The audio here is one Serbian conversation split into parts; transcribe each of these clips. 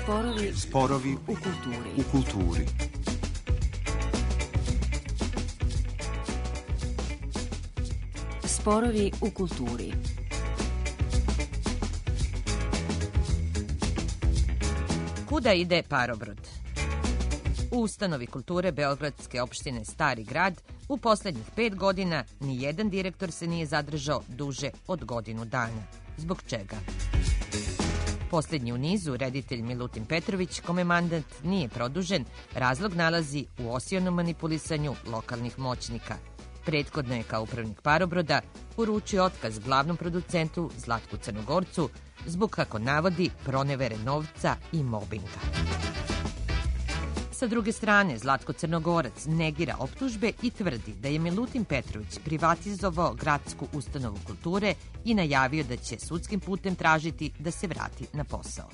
Sporovi u kulturi. Sporovi u kulturi. Kuda ide parobrod? U ustanovi kulture Beogradske opštine Stari grad u poslednjih 5 godina nijedan direktor se nije zadržao duže od godinu dana. Zbog čega? Poslednji u nizu, reditelj Milutin Petrović, kome mandat nije produžen, razlog nalazi u osionom manipulisanju lokalnih moćnika. Prethodno je kao upravnik parobroda uručio otkaz glavnom producentu Zlatku Crnogorcu zbog, kako navodi, pronevere novca i mobinga. Sa druge strane, Zlatko Crnogorac negira optužbe i tvrdi da je Milutin Petrović privatizovao gradsku ustanovu kulture i najavio da će sudskim putem tražiti da se vrati na posao.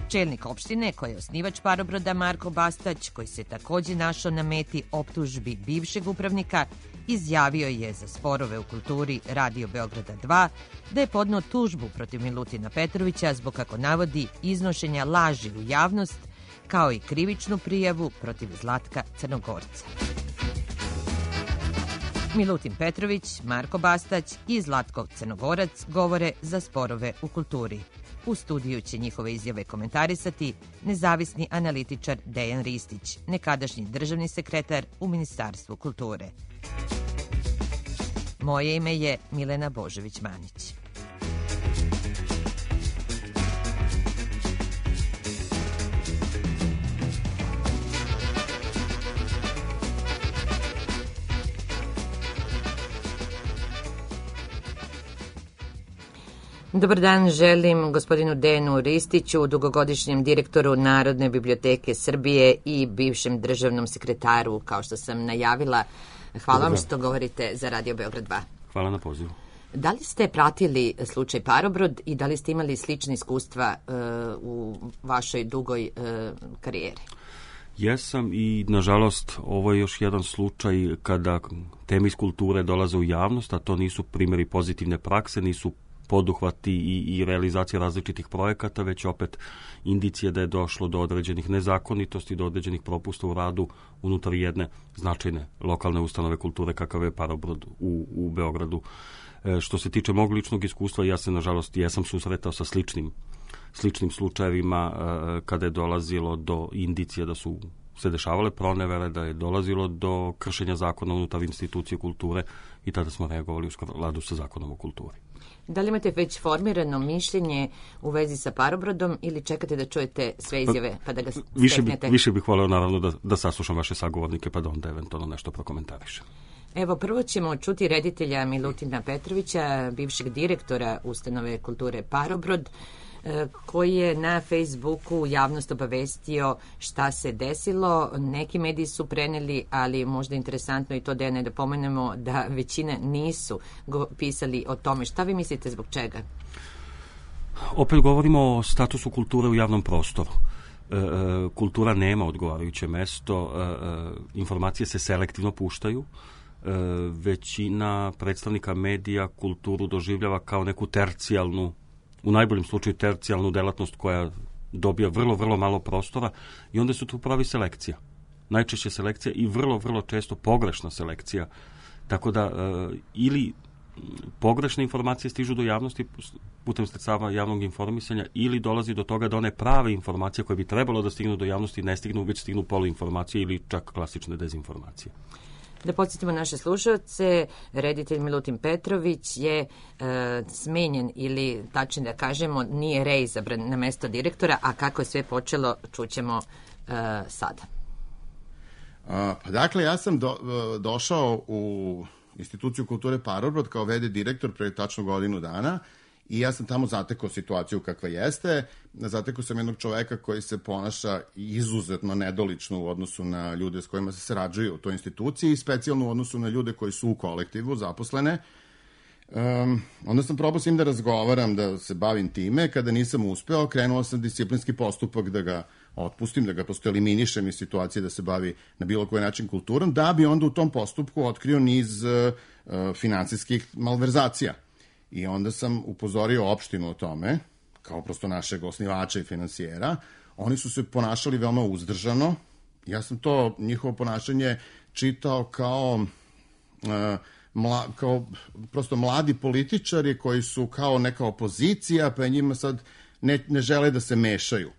Čelnik opštine, koji je osnivač parobroda, Marko Bastać, koji se takođe našao na meti optužbi bivšeg upravnika, izjavio je za sporove u kulturi Radio Beograda 2 da je podneo tužbu protiv Milutina Petrovića zbog, kako navodi, iznošenja laži u javnost, kao i krivičnu prijavu protiv Zlatka Crnogorca. Milutin Petrović, Marko Bastać i Zlatko Crnogorac govore za sporove u kulturi. U studiju će njihove izjave komentarisati nezavisni analitičar Dejan Ristić, nekadašnji državni sekretar u Ministarstvu kulture. Moje ime je Milena Božović-Manić. Dobar dan želim gospodinu Dejanu Ristiću, dugogodišnjem direktoru Narodne biblioteke Srbije i bivšem državnom sekretaru, kao što sam najavila. Hvala vam što govorite za Radio Beograd 2. Hvala na pozivu. Da li ste pratili slučaj Parobrod i da li ste imali slične iskustva u vašoj dugoj karijeri? Jesam i, nažalost, ovo je još jedan slučaj kada teme iz kulture dolaze u javnost, a to nisu primjeri pozitivne prakse, nisu poduhvati i realizacija različitih projekata, već opet indicije da je došlo do određenih nezakonitosti, do određenih propusta u radu unutar jedne značajne lokalne ustanove kulture kakav je Parobrod u Beogradu. Što se tiče mog ličnog iskustva, ja se, nažalost, jesam susretao sa sličnim slučajevima kada je dolazilo do indicija da su se dešavale pronevere, da je dolazilo do kršenja zakona unutar institucije kulture i tada smo reagovali u skladu sa zakonom o kulturi. Da li imate već formirano mišljenje u vezi sa Parobrodom ili čekate da čujete sve izjave pa da ga steknete? Više bih voleo naravno da saslušam vaše sagovornike pa da onda eventualno nešto prokomentarišem. Evo, prvo ćemo čuti reditelja Milutina Petrovića, bivšeg direktora ustanove kulture Parobrod, koji je na Facebooku javnost obavestio šta se desilo. Neki mediji su preneli, ali možda interesantno i to da ne pomenemo da većina nisu pisali o tome. Šta vi mislite zbog čega? Opet govorimo o statusu kulture u javnom prostoru. Kultura nema odgovarajuće mesto, informacije se selektivno puštaju, većina predstavnika medija kulturu doživljava kao neku tercijalnu, u najboljem slučaju tercijalnu delatnost koja dobija vrlo malo prostora i onda su tu pravi selekcija. Najčešće selekcija i vrlo često pogrešna selekcija. Tako da ili pogrešne informacije stižu do javnosti putem sredstava javnog informisanja ili dolazi do toga da one prave informacije koje bi trebalo da stignu do javnosti ne stignu, već stignu poluinformacije ili čak klasične dezinformacije. Da podsjetimo naše slušalce, reditelj Milutin Petrović je smenjen ili, tačno da kažemo, nije reizabran na mesto direktora, a kako je sve počelo čućemo sada. Dakle, ja sam došao u instituciju kulture Parobrod kao v.d. direktor pre tačno godinu dana i ja sam tamo zatekao situaciju kakva jeste. Zatekao sam jednog čoveka koji se ponaša izuzetno nedolično u odnosu na ljude s kojima se sarađuju u toj instituciji i specijalno u odnosu na ljude koji su u kolektivu zaposlene. Onda sam probao s njim da razgovaram, da se bavim time. Kada nisam uspeo, krenuo sam disciplinski postupak da ga otpustim, da ga prosto eliminišem iz situacije da se bavi na bilo koji način kulturom, da bi onda u tom postupku otkrio niz finansijskih malverzacija. I onda sam upozorio opštinu o tome, kao prosto našeg osnivača i finansijera, oni su se ponašali veoma uzdržano. Ja sam to njihovo ponašanje čitao kao prosto mladi političari koji su kao neka opozicija, pa njima sad ne žele da se mešaju.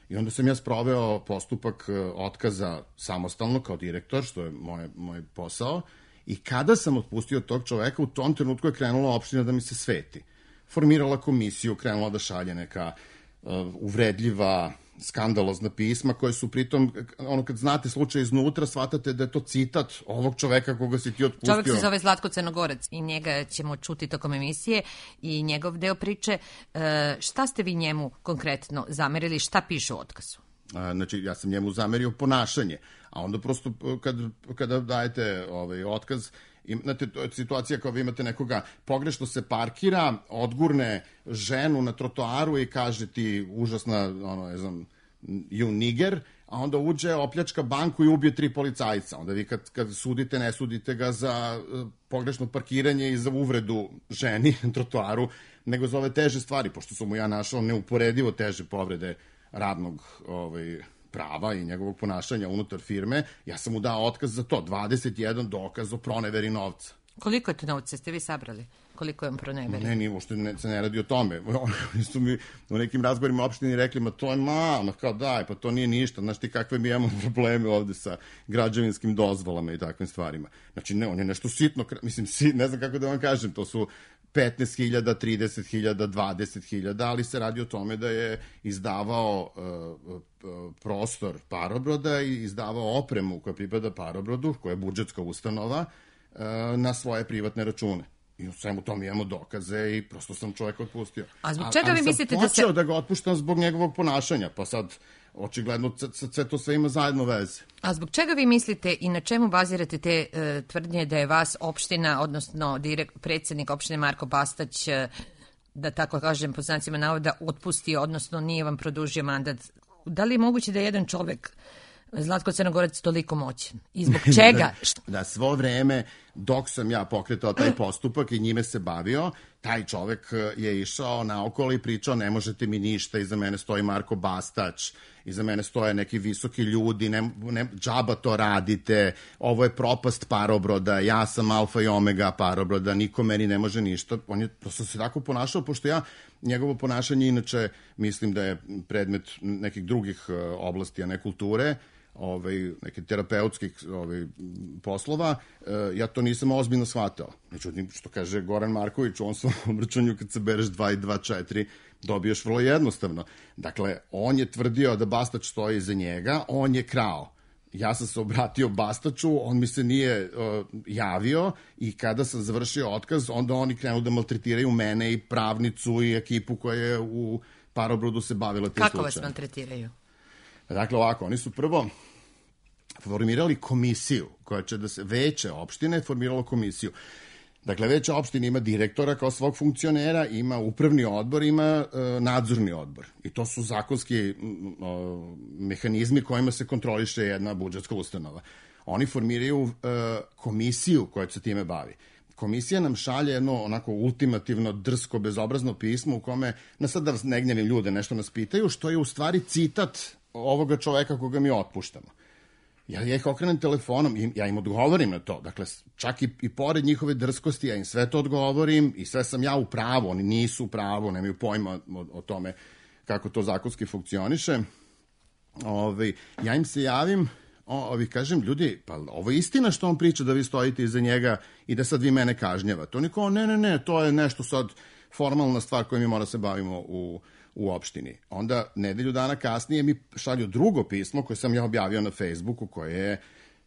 I onda sam ja sproveo postupak otkaza samostalno kao direktor, što je moj posao, i kada sam otpustio tog čoveka, u tom trenutku je krenula opština da mi se sveti. Formirala komisiju, krenula da šalje neka uvredljiva, skandalozna pisma koje su pritom, kad znate slučaj iznutra, shvatate da je to citat ovog čoveka koga si ti otpustio. Čovek se zove Zlatko Crnogorac i njega ćemo čuti tokom emisije i njegov deo priče. Šta ste vi njemu konkretno zamerili, šta piše u otkazu? Znači, ja sam njemu zamerio ponašanje, a onda prosto kada dajete otkaz, imate situacija kao vi imate nekoga pogrešno se parkira, odgurne ženu na trotoaru i kaže ti užasna, you nigger, a onda uđe, opljačka banku i ubije 3 policajca. Onda vi kad sudite, ne sudite ga za pogrešno parkiranje i za uvredu ženi na trotoaru, nego za ove teže stvari, pošto sam mu ja našao neuporedivo teže povrede radnog prava i njegovog ponašanja unutar firme, ja sam mu dao otkaz za to, 21 dokaz o proneveri novca. Koliko je to novca ste vi sabrali? Koliko je on proneverio? Ne, uopšte se ne radi o tome. Oni su mi u nekim razgovorima opštini rekli, ma to je malo, kao daj, pa to nije ništa, znaš ti kakve mi imamo probleme ovde sa građevinskim dozvolama i takvim stvarima. Znači, ne, on je nešto sitno, mislim, ne znam kako da vam kažem, to su 15.000, 30.000, 20.000, ali se radi o tome da je izdavao prostor Parobroda i izdavao opremu koja pripada Parobrodu, koja je budžetska ustanova, na svoje privatne račune. I u svemu tom imamo dokaze i prosto sam čoveka otpustio. A zbog čega vi mislite da se... Ali sam počeo da ga otpuštam zbog njegovog ponašanja, pa sad očigledno sve ima zajedno veze. A zbog čega vi mislite i na čemu bazirate te tvrdnje da je vas opština, odnosno predsjednik opštine Marko Bastać, da tako kažem, po znacima navoda, otpustio, odnosno nije vam produžio mandat? Da li je moguće da je jedan čovek, Zlatko Crnogorac, toliko moćan? I zbog čega? Da, svo vreme dok sam ja pokretao taj postupak i njime se bavio, taj čovek je išao naokolo i pričao ne možete mi ništa, iza mene stoji Marko Bastać, iza mene stoje neki visoki ljudi, džaba to radite, ovo je propast Parobroda, ja sam alfa i omega Parobroda, niko meni ne može ništa. On je prosto se tako ponašao, pošto ja njegovo ponašanje inače mislim da je predmet nekih drugih oblasti, a ne kulture, neke terapeutskih poslova, ja to nisam ozbiljno shvatao. Međutim, što kaže Goran Marković, u on svom obraćanju kad se bereš 2 i 2, 4, dobiješ vrlo jednostavno. Dakle, on je tvrdio da Bastać stoji iza njega, on je krao. Ja sam se obratio Bastaću, on mi se nije javio i kada sam završio otkaz, onda oni krenu da maltretiraju mene i pravnicu i ekipu koja je u Parobrodu se bavila tim slučajem. Kako vas maltretiraju? Dakle, ovako, oni su prvo formirali komisiju, koja će da se, veće opštine formiralo komisiju. Dakle, veća opština ima direktora kao svog funkcionera, ima upravni odbor, ima nadzorni odbor. I to su zakonski mehanizmi kojima se kontroliše jedna budžetska ustanova. Oni formiraju komisiju koja se time bavi. Komisija nam šalje jedno onako ultimativno, drsko, bezobrazno pismo u kome, sad da ne gnjavim ljude, nešto nas pitaju, što je u stvari citat ovoga čoveka koga mi otpuštamo. Ja ih okrenem telefonom i ja im odgovorim na to. Dakle, čak i pored njihove drskosti, ja im sve to odgovorim i sve sam ja u pravu, oni nisu u pravu, nemaju pojma o tome kako to zakonski funkcioniše. Ja im se javim, kažem, ljudi, pa ovo je istina što on priča da vi stojite iza njega i da sad vi mene kažnjavate. Oni kao, ne, to je nešto sad formalna stvar koju mi mora se bavimo u opštini. Onda, nedelju dana kasnije mi šalju drugo pismo koje sam ja objavio na Facebooku, koje je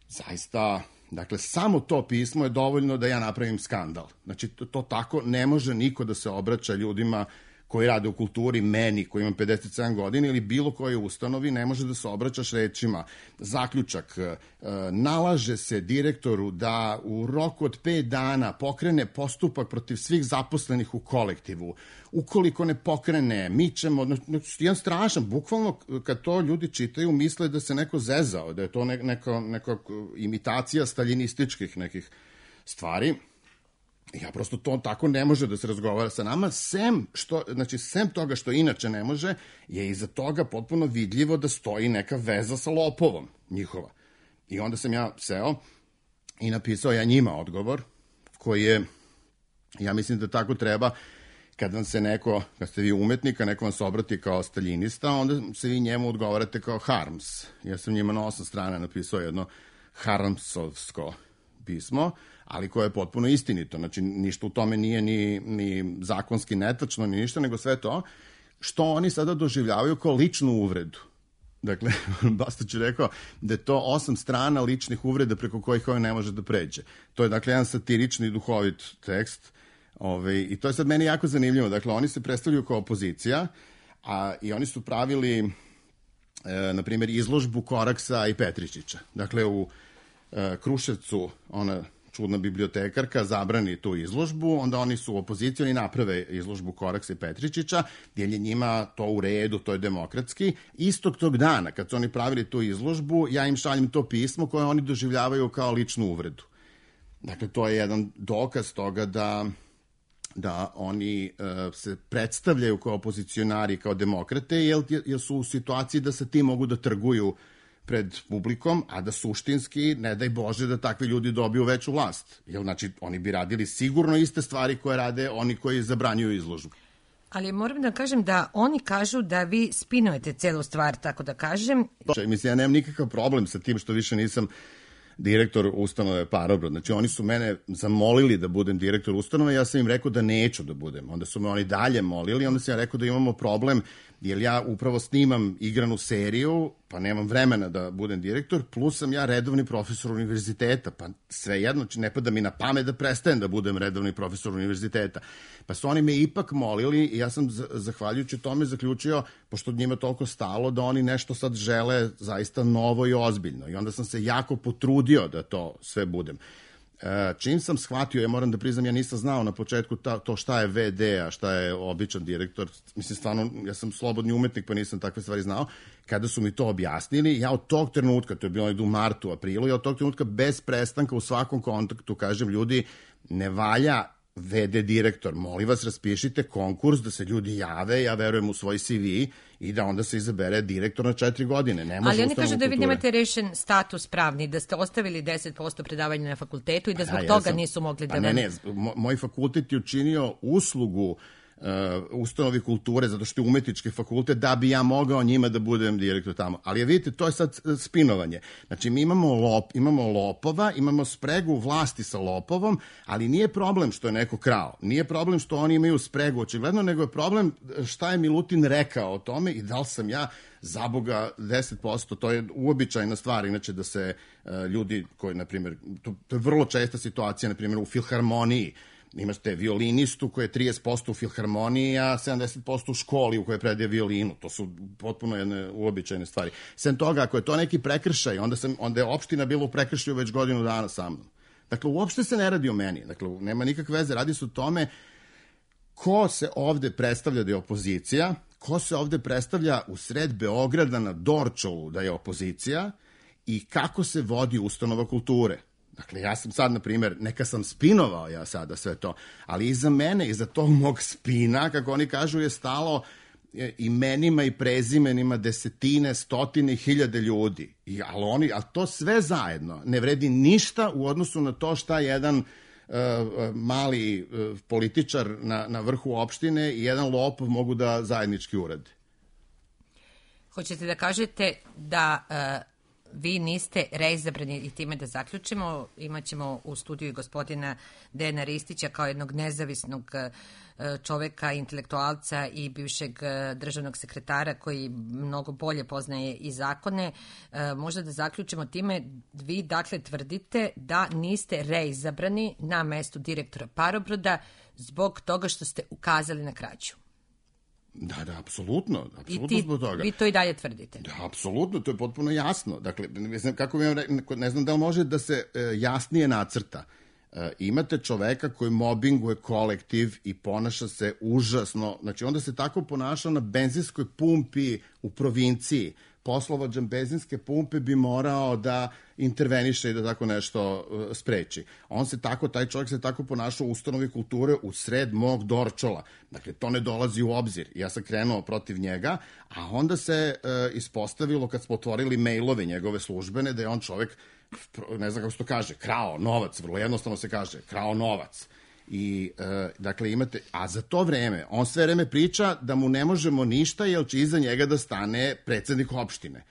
zaista, dakle, samo to pismo je dovoljno da ja napravim skandal. Znači, to tako ne može niko da se obraća ljudima koji rade u kulturi, meni koji imam 57 godina ili bilo koje ustanovi, ne može da se obraćaš rečima. Zaključak, nalaže se direktoru da u roku od 5 dana pokrene postupak protiv svih zaposlenih u kolektivu. Ukoliko ne pokrene, mi ćemo, jedan strašan, bukvalno kad to ljudi čitaju, misle da se neko zezao, da je to neka imitacija staljinističkih nekih stvari. Ja prosto to tako ne može da se razgovara sa nama, sem toga što inače ne može, je iza toga potpuno vidljivo da stoji neka veza sa lopovom njihova. I onda sam ja seo i napisao ja njima odgovor, koji je, ja mislim da tako treba, kad vam se neko, kad ste vi umetnik, a neko vam se obrati kao staljinista, onda se vi njemu odgovarate kao Harms. Ja sam njima na 8 strana napisao jedno Harmsovsko pismo, ali koje je potpuno istinito. Znači, ništa u tome nije ni zakonski netačno, ni ništa, nego sve to što oni sada doživljavaju kao ličnu uvredu. Dakle, Bastać je rekao da je to 8 strana ličnih uvreda preko kojih ovaj ne može da pređe. To je, dakle, jedan satirični duhovit tekst. I to je sad meni jako zanimljivo. Dakle, oni se predstavljaju kao opozicija, i oni su pravili, na primjer, izložbu Koraksa i Petričića. Dakle, u Kruševcu, ona čudna bibliotekarka zabrani tu izložbu, onda oni su u opoziciji, oni naprave izložbu Koraksa i Petričića, jer je njima to u redu, to je demokratski. Istog tog dana, kad su oni pravili tu izložbu, ja im šaljem to pismo koje oni doživljavaju kao ličnu uvredu. Dakle, to je jedan dokaz toga da oni se predstavljaju kao opozicionari, kao demokrate, jer su u situaciji da sa tim mogu da trguju pred publikom, a da suštinski, ne daj Bože, da takvi ljudi dobiju veću vlast. Jer, znači, oni bi radili sigurno iste stvari koje rade oni koji zabranjuju izložbu. Ali moram da kažem da oni kažu da vi spinujete celu stvar, tako da kažem. Mislim, ja nemam nikakav problem sa tim što više nisam direktor ustanove Parobrod. Znači, oni su mene zamolili da budem direktor ustanove, ja sam im rekao da neću da budem. Onda su me oni dalje molili, onda sam ja rekao da imamo problem, jer ja upravo snimam igranu seriju, pa nemam vremena da budem direktor, plus sam ja redovni profesor univerziteta, pa svejedno, ne pada mi na pamet da prestajem da budem redovni profesor univerziteta. Pa su oni me ipak molili i ja sam zahvaljujući tome zaključio, pošto njima toliko stalo, da oni nešto sad žele zaista novo i ozbiljno. I onda sam se jako potrudio da to sve budem. Čim sam shvatio, ja moram da priznam, ja nisam znao na početku to šta je VD, a šta je običan direktor. Mislim, stvarno, ja sam slobodni umetnik, pa nisam takve stvari znao. Kada su mi to objasnili, ja od tog trenutka, to je bilo u martu, aprilu, ja od tog trenutka bez prestanka u svakom kontaktu kažem, ljudi, ne valja VD direktor, molim vas, raspišite konkurs da se ljudi jave, ja verujem u svoj CV i da onda se izabere direktor na 4 godine. Ne može. Ali oni kažu da vi nemate rešen status pravni, da ste ostavili 10% predavanja na fakultetu i da zbog toga nisu mogli da... Ne, moj fakultet je učinio uslugu ustanovi kulture, zato što je umetnički fakultet, da bi ja mogao njima da budem direktor tamo. Ali vidite, to je sad spinovanje. Znači, mi imamo lopova, imamo spregu vlasti sa lopovom, ali nije problem što je neko krao. Nije problem što oni imaju spregu, očigledno, nego je problem šta je Milutin rekao o tome i da li sam ja za Boga 10%, to je uobičajna stvar, inače da se ljudi koji, na primjer, to je vrlo česta situacija, na primjer, u filharmoniji, imate violinistu koji je 30% u filharmoniji, a 70% u školi u kojoj predaje violinu. To su potpuno jedne uobičajene stvari. Sem toga, ako je to neki prekršaj, onda je opština bila u prekršaju već godinu dana sa mnom. Dakle, uopšte se ne radi o meni. Dakle, nema nikakve veze. Radi se o tome ko se ovde predstavlja da je opozicija, ko se ovde predstavlja u sred Beograda na Dorčolu da je opozicija i kako se vodi ustanova kulture. Dakle, ja sam sad, na primjer, neka sam spinovao ja sada sve to, ali iza mene, iza tog mog spina, kako oni kažu, je stalo imenima i prezimenima desetine, stotine, hiljade ljudi. Ali to sve zajedno ne vredi ništa u odnosu na to šta jedan mali političar na vrhu opštine i jedan lopov mogu da zajednički urade. Hoćete da kažete da... vi niste reizabrani i time da zaključimo. Imaćemo u studiju gospodina Dejana Ristića kao jednog nezavisnog čoveka, intelektualca i bivšeg državnog sekretara koji mnogo bolje poznaje i zakone. Možda da zaključimo time, vi dakle tvrdite da niste reizabrani na mestu direktora Parobroda zbog toga što ste ukazali na krađu. Da, apsolutno zbog toga. Vi to i dalje tvrdite? Da, apsolutno, to je potpuno jasno. Dakle, ne znam da li može da se jasnije nacrta. Imate čoveka koji mobinguje kolektiv i ponaša se užasno. Znači, onda se tako ponaša na benzinskoj pumpi u provinciji. Poslovođan benzinske pumpe bi morao da interveniše i da tako nešto spreči. Taj čovjek se tako ponašao u ustanovi kulture u sred mog Dorčola. Dakle, to ne dolazi u obzir. Ja sam krenuo protiv njega, a onda se ispostavilo kad smo otvorili mailove njegove službene da je on čovjek, ne znam kako se to kaže, krao novac, vrlo jednostavno se kaže, krao novac. I, dakle, imate, a za to vreme, on sve vreme priča da mu ne možemo ništa, jer će iza njega da stane predsednik opštine.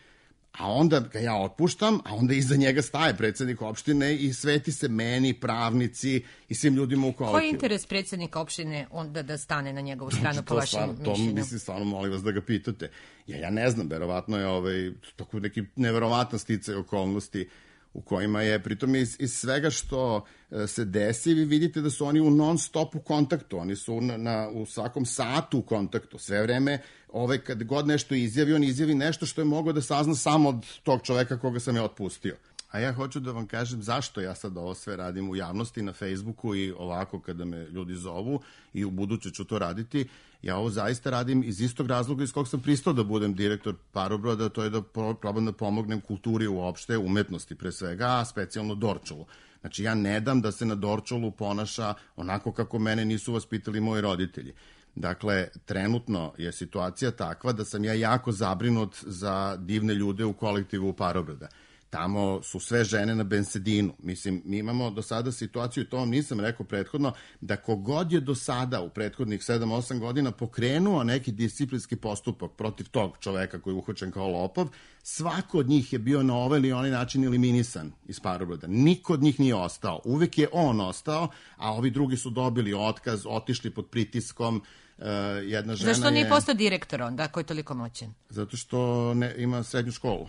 A onda ga ja otpuštam, a onda iza njega staje predsednik opštine i sveti se meni, pravnici i svim ljudima u kolektivu. Koji je interes predsednika opštine onda da stane na njegovu stranu po vašem mišljenju? To mislim, stvarno molim vas da ga pitate. Ja ne znam, verovatno je tako neki neverovatan sticaj okolnosti u kojima je, pritom iz svega što se desi, vi vidite da su oni u non-stop u kontaktu, oni su u svakom satu u kontaktu, sve vreme, kad god nešto izjavi, on izjavi nešto što je mogao da sazna samo od tog čoveka koga sam ja otpustio. A ja hoću da vam kažem zašto ja sad ovo sve radim u javnosti, na Facebooku i ovako kada me ljudi zovu i u buduće ću to raditi. Ja ovo zaista radim iz istog razloga iz kog sam pristao da budem direktor Parobroda, to je da probam da pomognem kulturi uopšte, umetnosti pre svega, a specijalno Dorčolu. Znači, ja ne dam da se na Dorčolu ponaša onako kako mene nisu vaspitali moji roditelji. Dakle, trenutno je situacija takva da sam ja jako zabrinut za divne ljude u kolektivu Parobroda. Tamo su sve žene na bensedinu. Mislim, mi imamo do sada situaciju, to vam nisam rekao prethodno, da kogod je do sada u prethodnih 7-8 godina pokrenuo neki disciplinski postupak protiv tog čoveka koji je uhvaćen kao lopov, svako od njih je bio na ovaj ili onaj način eliminisan iz Parobroda. Niko od njih nije ostao. Uvek je on ostao, a ovi drugi su dobili otkaz, otišli pod pritiskom. Jedna žena Zašto nije postao direktor onda, ako je toliko moćan? Zato što ima srednju školu.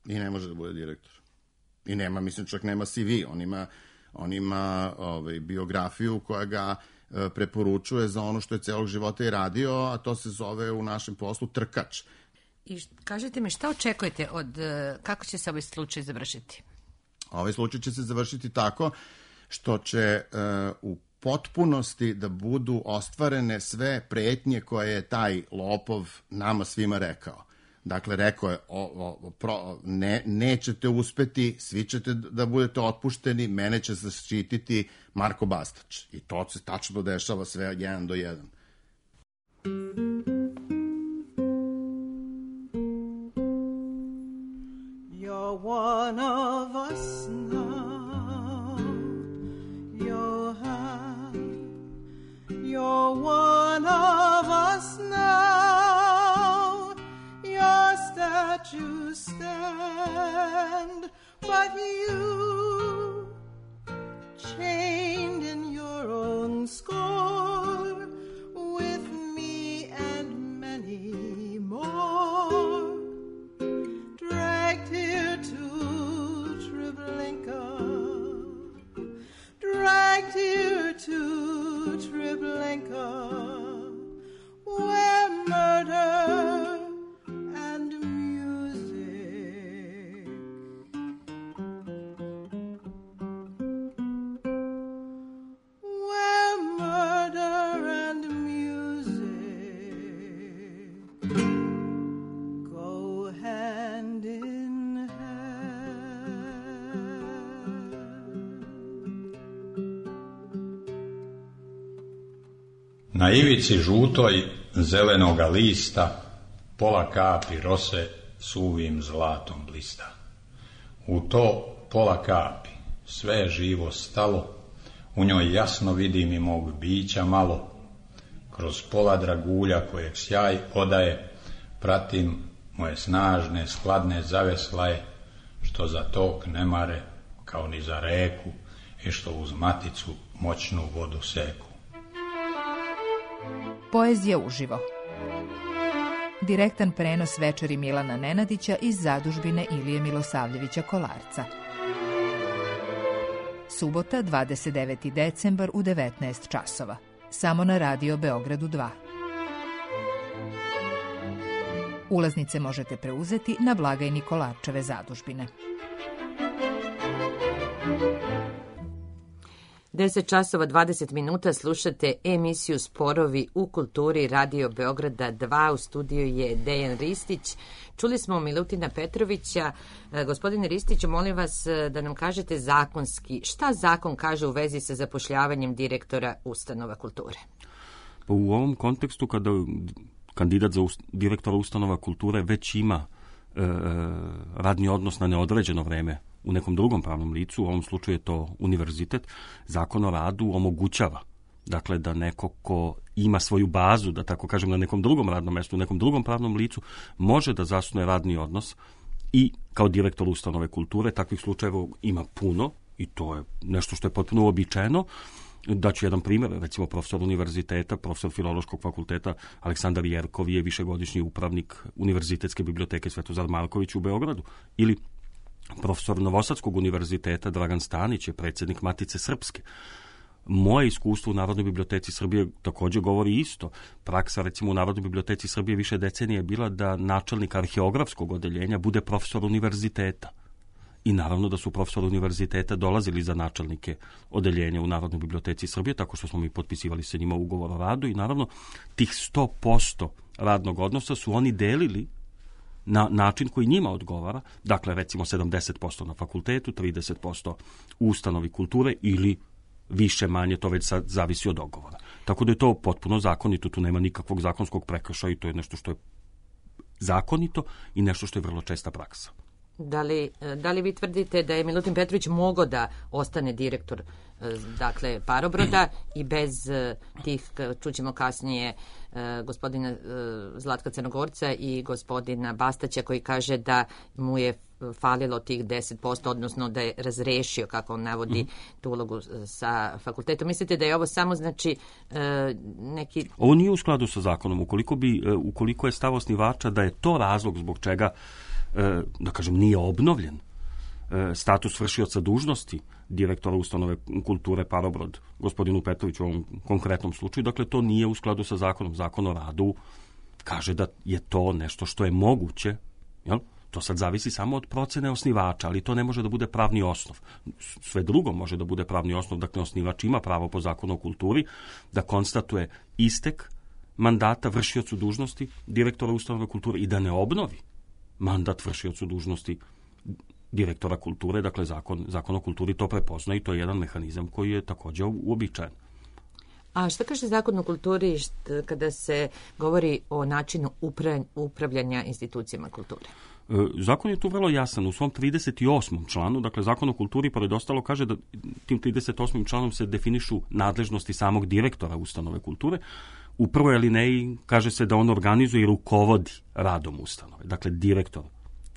I ne može da bude direktor. I nema, mislim, čak nema CV. On ima biografiju koja ga preporučuje za ono što je celog života i radio, a to se zove u našem poslu trkač. I kažete mi, šta očekujete kako će se ovaj slučaj završiti? Ovaj slučaj će se završiti tako što će u potpunosti da budu ostvarene sve pretnje koje je taj lopov nama svima rekao. Dakle, rekao je, nećete uspeti, svi ćete da budete otpušteni, mene će zaštititi Marko Bastać. I to se tačno dešava sve 1 do 1. You're one of us now. You're one of us now. Your statues stand, but you, chained in your own score, with me and many more, dragged here to Treblinka, dragged here to Treblinka, where murder and music, where murder and music go hand in hand. Na ivici žutoj zelenoga lista pola kapi rose suvim zlatom blista. U to pola kapi sve je živo stalo, u njoj jasno vidim i mog bića malo. Kroz pola dragulja kojeg sjaj odaje, pratim moje snažne skladne zaveslaje, što za tok ne mare kao ni za reku i što uz maticu moćnu vodu seku. Poezija uživo. Direktan prenos večeri Milana Nenadića iz zadužbine Ilije Milosavljevića Kolarca. Subota, 29. decembar u 19 časova. Samo na Radio Beogradu 2. Ulaznice možete preuzeti na blagajni Kolarčeve zadužbine. 10 časova 20 minuta slušate emisiju Sporovi u kulturi Radio Beograda 2. U studiju je Dejan Ristić. Čuli smo Milutina Petrovića. Gospodine Ristiću, molim vas da nam kažete zakonski, šta zakon kaže u vezi sa zapošljavanjem direktora ustanova kulture? Pa u ovom kontekstu, kada kandidat za direktora ustanova kulture već ima radni odnos na neodređeno vreme u nekom drugom pravnom licu, u ovom slučaju je to univerzitet, Zakon o radu omogućava, dakle, da neko ko ima svoju bazu, da tako kažem, na nekom drugom radnom mestu, u nekom drugom pravnom licu, može da zasnuje radni odnos i kao direktor ustanove kulture. Takvih slučajeva ima puno i to je nešto što je potpuno uobičajeno. Daću jedan primjer, recimo profesor univerziteta, profesor Filološkog fakulteta Aleksandar Jerkov je višegodišnji upravnik Univerzitetske biblioteke Svetozar Marković u Beogradu. Ili profesor Novosadskog univerziteta Dragan Stanić je predsjednik Matice Srpske. Moje iskustvo u Narodnoj biblioteci Srbije također govori isto. Praksa, recimo, u Narodnoj biblioteci Srbije više decenije je bila da načelnik arheografskog odeljenja bude profesor univerziteta. I naravno da su profesori univerziteta dolazili za načelnike odeljenja u Narodnoj biblioteci Srbije, tako što smo mi potpisivali sa njima ugovor o radu i naravno tih 100% radnog odnosa su oni delili na način koji njima odgovara, dakle recimo 70% na fakultetu, 30% u ustanovi kulture ili više manje, to već sad zavisi od dogovora. Tako da je to potpuno zakonito, tu nema nikakvog zakonskog prekršaja i to je nešto što je zakonito i nešto što je vrlo česta praksa. Da li vi tvrdite da je Milutin Petrović mogao da ostane direktor, dakle, Parobroda i bez tih, čućemo kasnije, gospodina Zlatka Crnogorca i gospodina Bastaća koji kaže da mu je falilo tih 10%, odnosno da je razrešio, kako on navodi, tu ulogu sa fakultetom. Mislite da je ovo samo, znači, neki... Ovo nije u skladu sa zakonom. Ukoliko je stav osnivača da je to razlog zbog čega, da kažem, nije obnovljen status vršioca dužnosti direktora ustanove kulture Parobrod, gospodinu Petroviću u ovom konkretnom slučaju, dakle, to nije u skladu sa zakonom. Zakon o radu kaže da je to nešto što je moguće, jel? To sad zavisi samo od procene osnivača, ali to ne može da bude pravni osnov. Sve drugo može da bude pravni osnov, dakle, osnivač ima pravo po zakonu o kulturi da konstatuje istek mandata vršiocu dužnosti direktora ustanove kulture i da ne obnovi mandat vršiocu dužnosti direktora kulture, dakle zakon o kulturi to prepozna i to je jedan mehanizam koji je također uobičajen. A šta kaže zakon o kulturi kada se govori o načinu upravljanja institucijama kulture? Zakon je tu vrlo jasan. U svom 38. članu, dakle zakon o kulturi pored ostalo kaže da tim 38. članom se definišu nadležnosti samog direktora ustanove kulture. U prvoj alineji kaže se da on organizuje i rukovodi radom ustanove. Dakle, direktor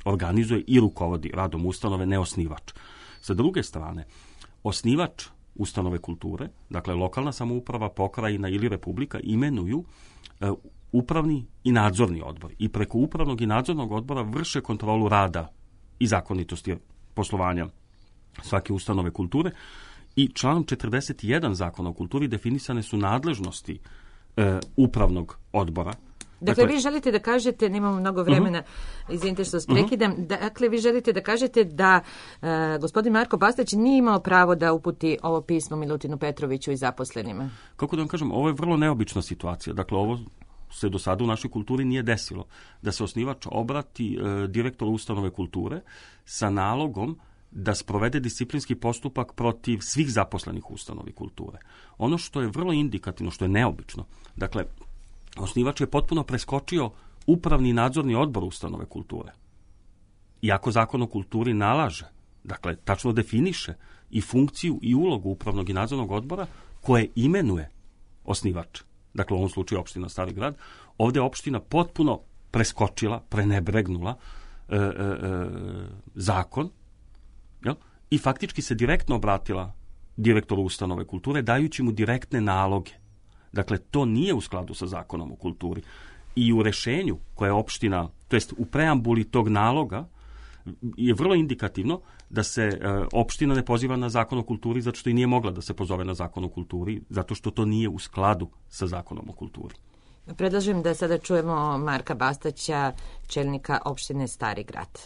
organizuje i rukovodi radom ustanove, ne osnivač. Sa druge strane, osnivač ustanove kulture, dakle lokalna samouprava, pokrajina ili republika, imenuju upravni i nadzorni odbor. I preko upravnog i nadzornog odbora vrše kontrolu rada i zakonitosti poslovanja svake ustanove kulture. I članom 41 zakona o kulturi definisane su nadležnosti upravnog odbora. Dakle, vi želite da kažete, nemamo mnogo vremena, izvinite što vas prekidam, dakle, vi želite da kažete da gospodin Marko Bastać nije imao pravo da uputi ovo pismo Milutinu Petroviću i zaposlenima? Kako da vam kažem, ovo je vrlo neobična situacija. Dakle, ovo se do sada u našoj kulturi nije desilo. Da se osnivač obrati direktoru ustanove kulture sa nalogom da sprovede disciplinski postupak protiv svih zaposlenih u ustanovi kulture. Ono što je vrlo indikativno, što je neobično, dakle, osnivač je potpuno preskočio upravni i nadzorni odbor ustanove kulture. Iako zakon o kulturi nalaže, dakle, tačno definiše i funkciju i ulogu upravnog i nadzornog odbora koje imenuje osnivač. Dakle, u ovom slučaju opština Stari Grad. Ovdje je opština potpuno preskočila, prenebregnula zakon, jel? I faktički se direktno obratila direktoru ustanove kulture, dajući mu direktne naloge. Dakle, to nije u skladu sa zakonom o kulturi. I u rešenju koje je opština, to jest u preambuli tog naloga, je vrlo indikativno da se opština ne poziva na zakon o kulturi zato što i nije mogla da se pozove na zakon o kulturi, zato što to nije u skladu sa zakonom o kulturi. Predlažem da sada čujemo Marka Bastaća, čelnika opštine Stari Grad.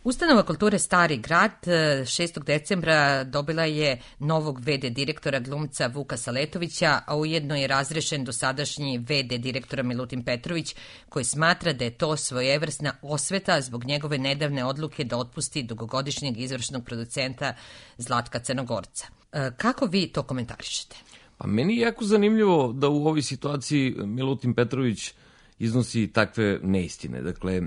Ustanova kulture Stari grad 6. decembra dobila je novog VD direktora glumca Vuka Saletovića, a ujedno je razrešen dosadašnji VD direktora Milutin Petrović, koji smatra da je to svojevrsna osveta zbog njegove nedavne odluke da otpusti dugogodišnjeg izvršnog producenta Zlatka Crnogorca. Kako vi to komentarišete? Pa meni je jako zanimljivo da u ovoj situaciji Milutin Petrović iznosi takve neistine. Dakle,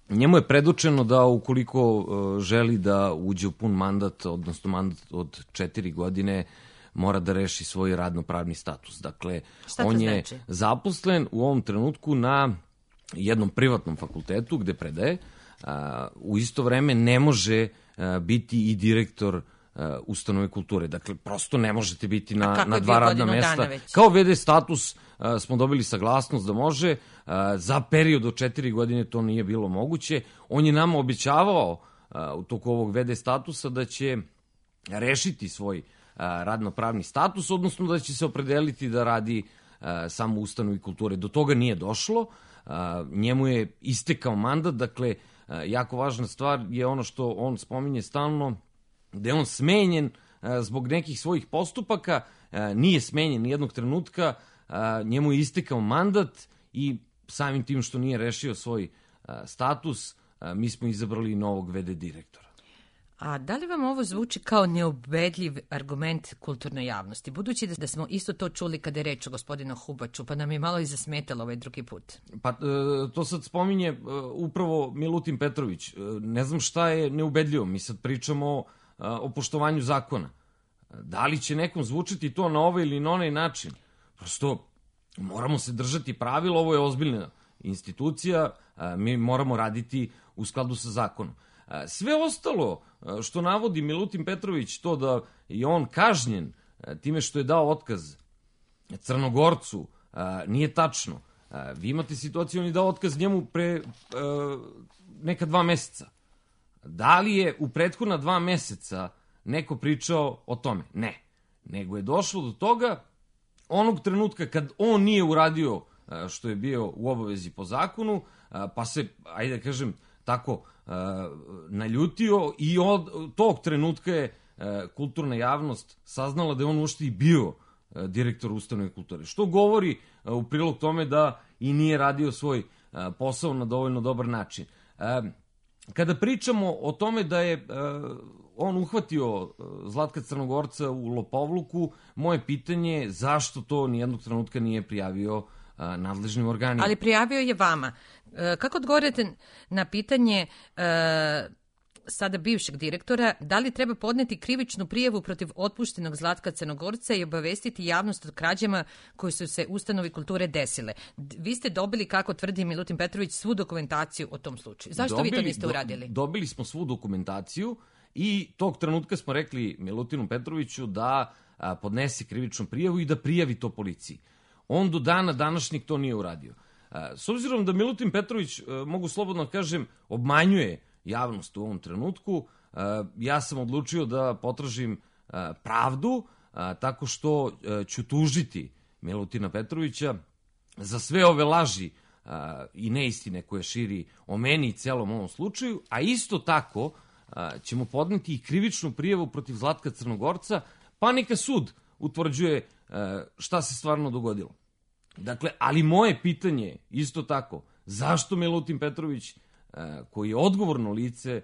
njemu je predočeno da ukoliko želi da uđe u pun mandat, odnosno mandat od 4 godine, mora da reši svoj radno-pravni status. Dakle, on je zaposlen u ovom trenutku na jednom privatnom fakultetu gde predaje. U isto vreme ne može biti i direktor ustanove kulture. Dakle, prosto ne možete biti na dva radna mesta. Kao VD status smo dobili saglasnost da može. Za period od 4 godine to nije bilo moguće. On je nama obećavao u toku ovog VD statusa da će rešiti svoj radno-pravni status, odnosno da će se opredeliti da radi samo u ustanovi kulture. Do toga nije došlo. Njemu je istekao mandat. Dakle, jako važna stvar je ono što on spominje stalno, da je on smenjen zbog nekih svojih postupaka, nije smenjen nijednog trenutka, njemu je istekao mandat i samim tim što nije rešio svoj status, mi smo izabrali novog VD direktora. A da li vam ovo zvuči kao neubedljiv argument kulturnoj javnosti? Budući da smo isto to čuli kada je reč o gospodinu Hubaču, pa nam je malo i zasmetalo ovaj drugi put. Pa to sad spominje upravo Milutin Petrović. Ne znam šta je neubedljivo, mi sad pričamo o poštovanju zakona. Da li će nekom zvučiti to na ovaj ili na onaj način? Prosto moramo se držati pravila, ovo je ozbiljna institucija, mi moramo raditi u skladu sa zakonom. Sve ostalo što navodi Milutin Petrović, to da je on kažnjen time što je dao otkaz Crnogorcu, nije tačno. Vi imate situaciju, on je dao otkaz njemu pre neka 2 meseca. Da li je u prethodna 2 meseca neko pričao o tome? Ne. Nego je došlo do toga onog trenutka kad on nije uradio što je bio u obavezi po zakonu, pa se, ajde da kažem, tako naljutio i od tog trenutka je kulturna javnost saznala da je on uopšte i bio direktor ustanove kulture. Što govori u prilog tome da i nije radio svoj posao na dovoljno dobar način. Kada pričamo o tome da je on uhvatio Zlatka Crnogorca u lopovluku, moje pitanje je zašto to nijednog trenutka nije prijavio nadležnim organima. Ali prijavio je vama. Kako odgovorite na pitanje sada bivšeg direktora, da li treba podneti krivičnu prijavu protiv otpuštenog Zlatka Crnogorca i obavestiti javnost o krađama koje su se ustanovi kulture desile? Vi ste dobili, kako tvrdi Milutin Petrović, svu dokumentaciju o tom slučaju. Zašto vi to niste uradili? Dobili smo svu dokumentaciju i tog trenutka smo rekli Milutinu Petroviću da podnese krivičnu prijavu i da prijavi to policiji. On do dana današnjeg to nije uradio. S obzirom da Milutin Petrović, mogu slobodno kažem, obmanjuje javnost u ovom trenutku, ja sam odlučio da potražim pravdu tako što ću tužiti Milutina Petrovića za sve ove laži i neistine koje širi o meni i celom ovom slučaju, a isto tako ćemo podneti i krivičnu prijavu protiv Zlatka Crnogorca, pa neka sud utvrđuje šta se stvarno dogodilo. Dakle, ali moje pitanje isto tako, zašto Milutin Petrović, koji je odgovorno lice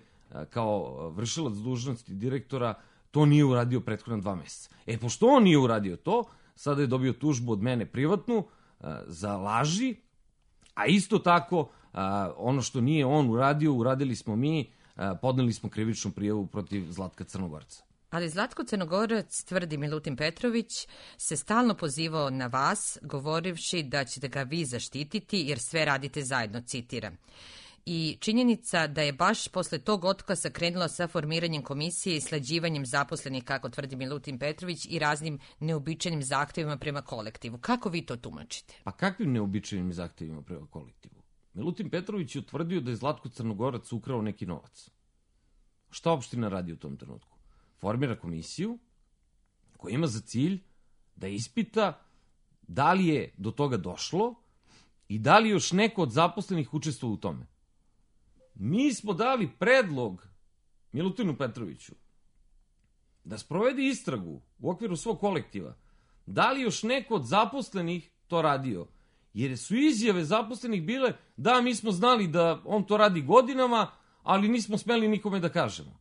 kao vršilac dužnosti direktora, to nije uradio prethodna 2 meseca. Pošto on nije uradio to, sada je dobio tužbu od mene privatnu za laži, a isto tako ono što nije on uradio, uradili smo mi, podneli smo krivičnu prijavu protiv Zlatka Crnogorca. Ali Zlatko Crnogorac, tvrdi Milutin Petrović, se stalno pozivao na vas, govorivši da ćete ga vi zaštititi jer sve radite zajedno, citiram. I činjenica da je baš posle tog otkaza krenula sa formiranjem komisije i slađivanjem zaposlenih, kako tvrdi Milutin Petrović, i raznim neobičajnim zahtevima prema kolektivu. Kako vi to tumačite? Pa kakvim neobičajnim zahtevima prema kolektivu? Milutin Petrović je utvrdio da je Zlatko Crnogorac ukrao neki novac. Šta opština radi u tom trenutku? Formira komisiju koja ima za cilj da ispita da li je do toga došlo i da li još neko od zaposlenih učestvovao u tome. Mi smo dali predlog Milutinu Petroviću da sprovede istragu u okviru svog kolektiva. Da li još neko od zaposlenih to radio? Jer su izjave zaposlenih bile da mi smo znali da on to radi godinama, ali nismo smeli nikome da kažemo.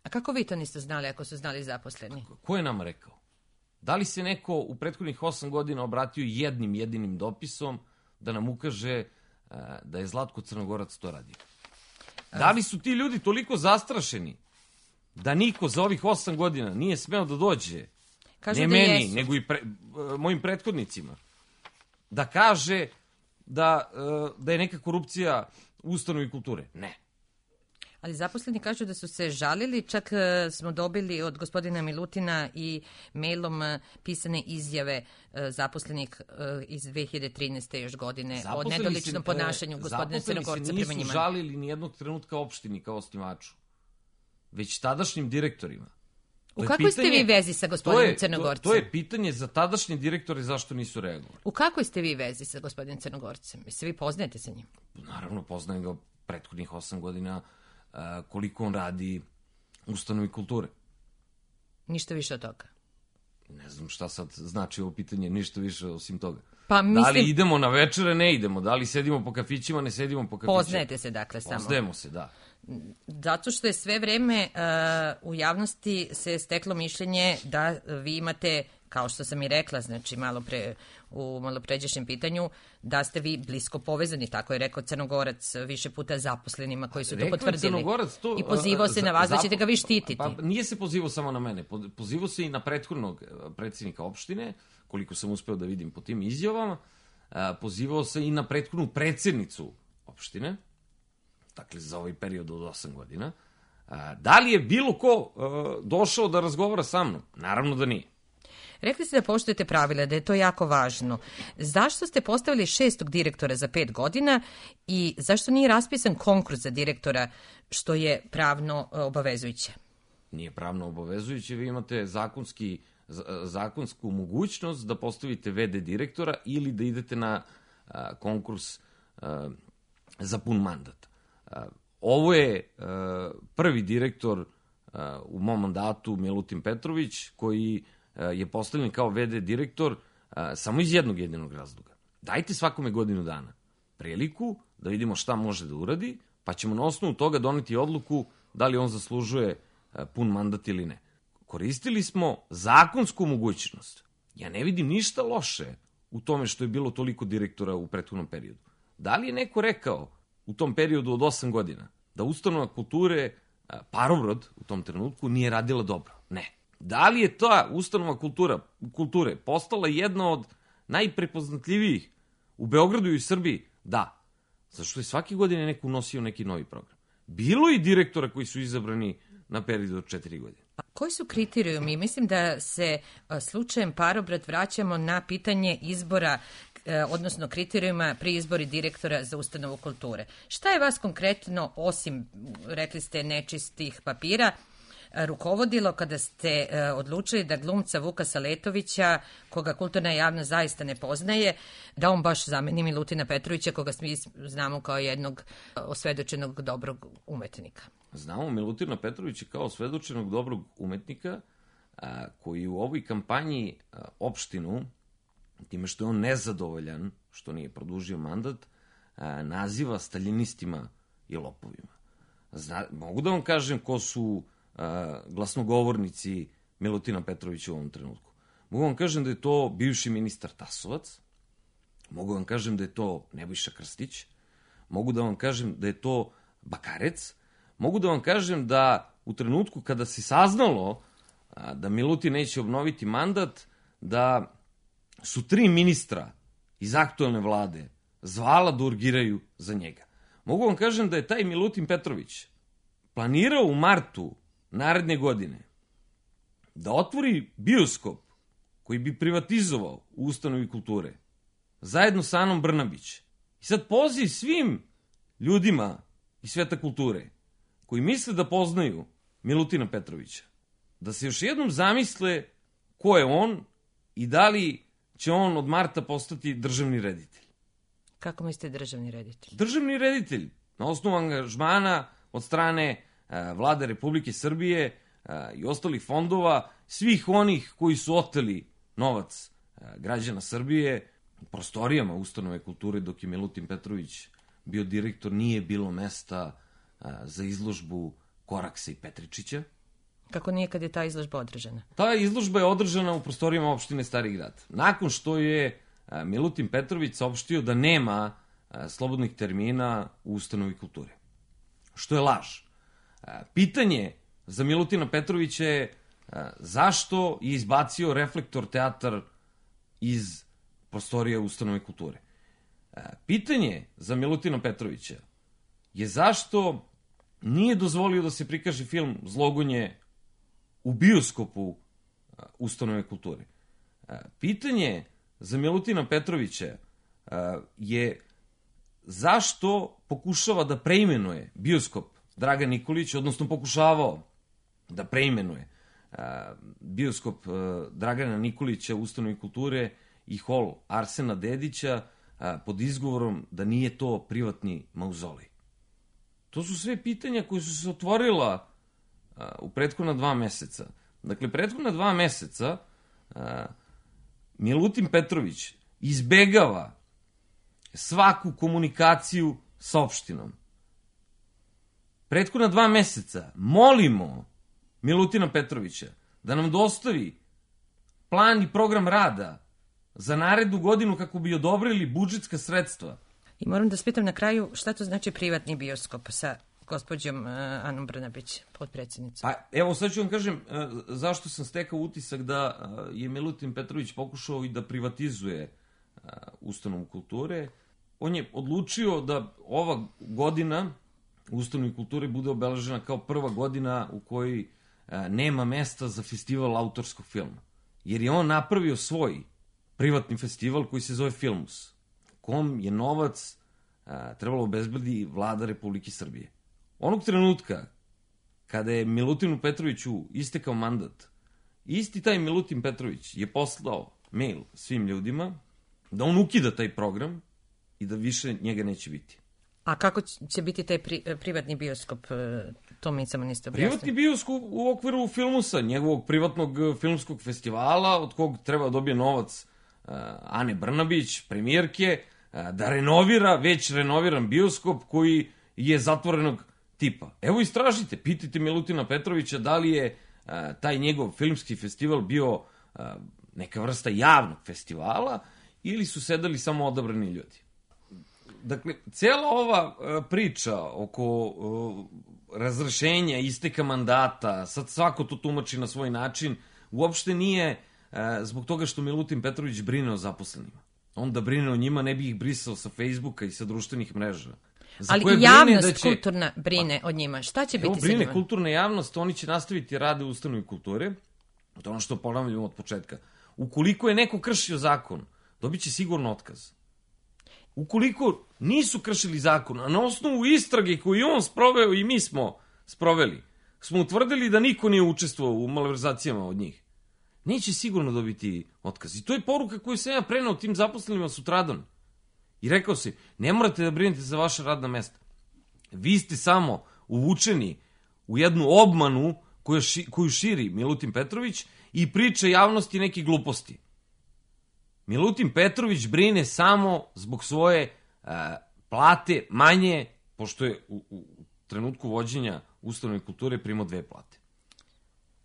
A kako vi to niste znali ako su znali zaposleni? Ko je nam rekao? Da li se neko u prethodnih 8 godina obratio jednim jedinim dopisom da nam ukaže da je Zlatko Crnogorac to radio? Da li su ti ljudi toliko zastrašeni da niko za ovih 8 godina nije smeo da dođe, Kažu ne da meni, jesu. nego i mojim prethodnicima, da kaže da je neka korupcija u ustanovi kulture? Ne. Ali zaposleni kažu da su se žalili, čak smo dobili od gospodina Milutina i mailom pisane izjave zaposlenih iz 2013. još godine o nedoličnom ponašanju gospodina Crnogorca prema njima. Zaposleni se nisu žalili ni jednog trenutka opštini kao osnivaču, već tadašnjim direktorima. U kakvoj ste vi vezi sa gospodinom Crnogorcem? To je pitanje za tadašnje direktore zašto nisu reagovali. U kakvoj ste vi vezi sa gospodinom Crnogorcem? Se vi poznajete sa njim? Naravno, poznajem ga prethodnih 8 godina koliko on radi u ustanovi kulture. Ništa više od toga? Ne znam šta sad znači ovo pitanje, ništa više osim toga. Pa mislim... Da li idemo na večere, ne idemo. Da li sedimo po kafićima, ne sedimo po kafićima. Poznajete se dakle samo. Poznajemo se, da. Zato što je sve vreme u javnosti se steklo mišljenje da vi imate, kao što sam i rekla, znači u malopređašnjem pitanju, da ste vi blisko povezani, tako je rekao Crnogorac više puta zaposlenima koji su to potvrdili. I pozivao se na vas da ćete ga vi štititi. Pa nije se pozivao samo na mene, pozivao se i na prethodnog predsjednika opštine, koliko sam uspeo da vidim po tim izjavama, pozivao se i na prethodnu predsjednicu opštine, dakle za ovaj period od 8 godina. Da li je bilo ko došao da razgovara sa mnom? Naravno da nije. Rekli ste da poštujete pravila, da je to jako važno. Zašto ste postavili 6. direktora za 5 godina i zašto nije raspisan konkurs za direktora, što je pravno obavezujuće? Nije pravno obavezujuće, vi imate zakonsku mogućnost da postavite VD direktora ili da idete na konkurs za pun mandat. Ovo je prvi direktor u mom mandatu, Milutin Petrović, koji je postavljen kao VD direktor samo iz jednog jedinog razloga. Dajte svakome godinu dana priliku da vidimo šta može da uradi, pa ćemo na osnovu toga doneti odluku da li on zaslužuje pun mandat ili ne. Koristili smo zakonsku mogućnost. Ja ne vidim ništa loše u tome što je bilo toliko direktora u prethodnom periodu. Da li je neko rekao u tom periodu od 8 godina da ustanova kulture Parobrod u tom trenutku nije radila dobro? Ne. Da li je ta ustanova kulture postala jedna od najprepoznatljivijih u Beogradu i u Srbiji? Da. Zašto je svake godine neko unosio neki novi program. Bilo i direktora koji su izabrani na period od 4 godine. Koji su kriterijumi? Mislim da se slučajem Parobrod vraćamo na pitanje izbora, odnosno kriterijuma pri izbori direktora za ustanovu kulture. Šta je vas konkretno, osim, rekli ste, nečistih papira, rukovodilo kada ste odlučili da glumca Vuka Saletovića, koga kulturna javnost zaista ne poznaje, da on baš zameni Milutina Petrovića, koga svi znamo kao jednog osvedočenog dobrog umetnika? Znamo Milutina Petrovića kao osvedočenog dobrog umetnika koji u ovoj kampanji opštinu, time što je on nezadovoljan, što nije produžio mandat, naziva staljinistima i lopovima. Mogu da vam kažem ko su glasnogovornici Milutina Petrovića u ovom trenutku. Mogu vam kažem da je to bivši ministar Tasovac, mogu vam kažem da je to Nebojša Krstić, mogu da vam kažem da je to Bakarec, mogu da vam kažem da u trenutku kada se saznalo da Milutin neće obnoviti mandat, da su 3 ministra iz aktuelne vlade zvala da urgiraju za njega. Mogu vam kažem da je taj Milutin Petrović planirao u martu naredne godine da otvori bioskop koji bi privatizovao u ustanovi kulture zajedno sa Anom Brnabić. I sad poziv svim ljudima iz sveta kulture koji misle da poznaju Milutina Petrovića da se još jednom zamisle ko je on i da li će on od marta postati državni reditelj. Kako mislite državni reditelj? Državni reditelj, na osnovu angažmana od strane Vlade Republike Srbije i ostalih fondova, svih onih koji su oteli novac građana Srbije, prostorijama ustanove kulture dok je Milutin Petrović bio direktor, nije bilo mesta za izložbu Koraksa i Petričića. Kako nije kad je ta izložba održana? Ta izložba je održana u prostorijama opštine Stari Grad. Nakon što je Milutin Petrović saopštio da nema slobodnih termina u ustanovi kulture. Što je laž. Pitanje za Milutina Petrovića je zašto je izbacio Reflektor teatar iz prostorija ustanove kulture. Pitanje za Milutina Petrovića je zašto nije dozvolio da se prikaže film Zlogunje u bioskopu ustanove kulture. Pitanje za Milutina Petrovića je zašto pokušava da preimenuje bioskop Dragan Nikolić, odnosno pokušavao da preimenuje bioskop Dragana Nikolića u ustanovi kulture i hol Arsena Dedića pod izgovorom da nije to privatni mauzolej. To su sve pitanja koje su se otvorila u prethodna 2 meseca. Dakle, prethodna 2 meseca Milutin Petrović izbegava svaku komunikaciju sa opštinom. Prethodna 2 meseca molimo Milutina Petrovića da nam dostavi plan i program rada za narednu godinu kako bi odobrili budžetska sredstva. I moram da spitam na kraju šta to znači privatni bioskop sa gospođom Anom Brnabić, potpredsjednicom. Pa evo sad ću vam kažem zašto sam stekao utisak da je Milutin Petrović pokušao i da privatizuje ustanovu kulture. On je odlučio da ova godina u ustanovi kulture bude obeležena kao prva godina u kojoj nema mesta za festival autorskog filma. Jer je on napravio svoj privatni festival koji se zove Filmus, kom je novac trebalo obezbedi Vlada Republike Srbije. Onog trenutka kada je Milutinu Petroviću istekao mandat, isti taj Milutin Petrović je poslao mail svim ljudima da on ukida taj program i da više njega neće biti. A kako će biti taj privatni bioskop? To mi samo niste objasnili. Privatni bioskop u okviru Filmusa, njegovog privatnog filmskog festivala, od kog treba dobije novac Ane Brnabić, premijerke, da renovira već renoviran bioskop koji je zatvorenog tipa. Evo istražite, pitajte Milutina Petrovića da li je taj njegov filmski festival bio neka vrsta javnog festivala ili su sedeli samo odabrani ljudi. Dakle, cijela ova priča oko razrešenja, isteka mandata, sad svako to tumači na svoj način, uopšte nije zbog toga što Milutin Petrović brine o zaposlenima. On da brine o njima ne bi ih brisao sa Facebooka i sa društvenih mreža. Ali i javnost kulturna brine o njima. Šta će biti sa njima? Brine kulturna javnost, oni će nastaviti rade u ustanovi kulture. To je ono što ponavljamo od početka. Ukoliko je neko kršio zakon, dobit će sigurno otkaz. Ukoliko nisu kršili zakon, a na osnovu istrage koju on sproveo i mi smo sproveli, smo utvrdili da niko nije učestvovao u malverzacijama od njih, neće sigurno dobiti otkaz. I to je poruka koju sam ja preneo tim zaposlenima sutradan. I rekao si, ne morate da brinete za vaše radna mesta. Vi ste samo uvučeni u jednu obmanu koju širi Milutin Petrović i priča javnosti neke gluposti. Milutin Petrović brine samo zbog svoje plate manje, pošto je u trenutku vođenja ustanove kulture primao 2 plate.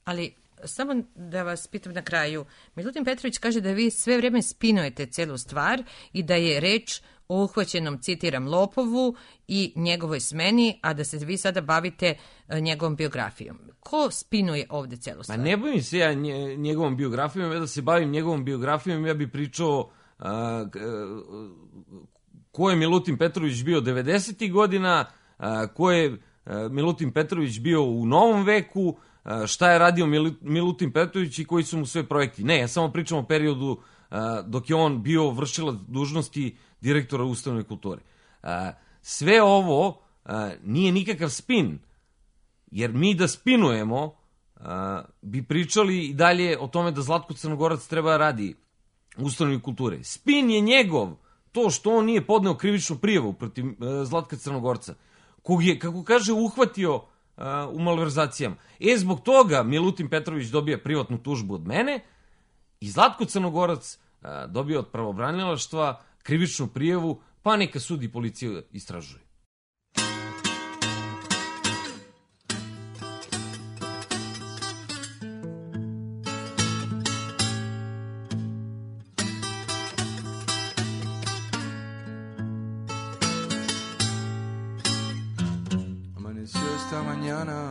Ali samo da vas pitam na kraju, Milutin Petrović kaže da vi sve vrijeme spinujete celu stvar i da je reč o uhvaćenom, citiram, lopovu i njegovoj smeni, a da se vi sada bavite njegovom biografijom. Ko spinuje ovde celu stvar? Pa ne bavim se ja njegovom biografijom, ja da se bavim njegovom biografijom, ja bih pričao ko je Milutin Petrović bio 90. godina, ko je Milutin Petrović bio u novom veku, šta je radio Milutin Petrović i koji su mu sve projekti. Ne, ja samo pričam o periodu dok je on bio vršilac dužnosti direktora ustanove kulture. Sve ovo nije nikakav spin, jer mi da spinujemo bi pričali i dalje o tome da Zlatko Crnogorac treba radi u ustanovi kulture. Spin je njegov to što on nije podneo krivičnu prijavu protiv Zlatka Crnogorca, kog je, kako kaže, uhvatio u malverzacijama. Zbog toga Milutin Petrović dobija privatnu tužbu od mene i Zlatko Crnogorac dobio od pravobranilaštva krivičnu prijavu, pa neka sud i policija istražuje. Esta mañana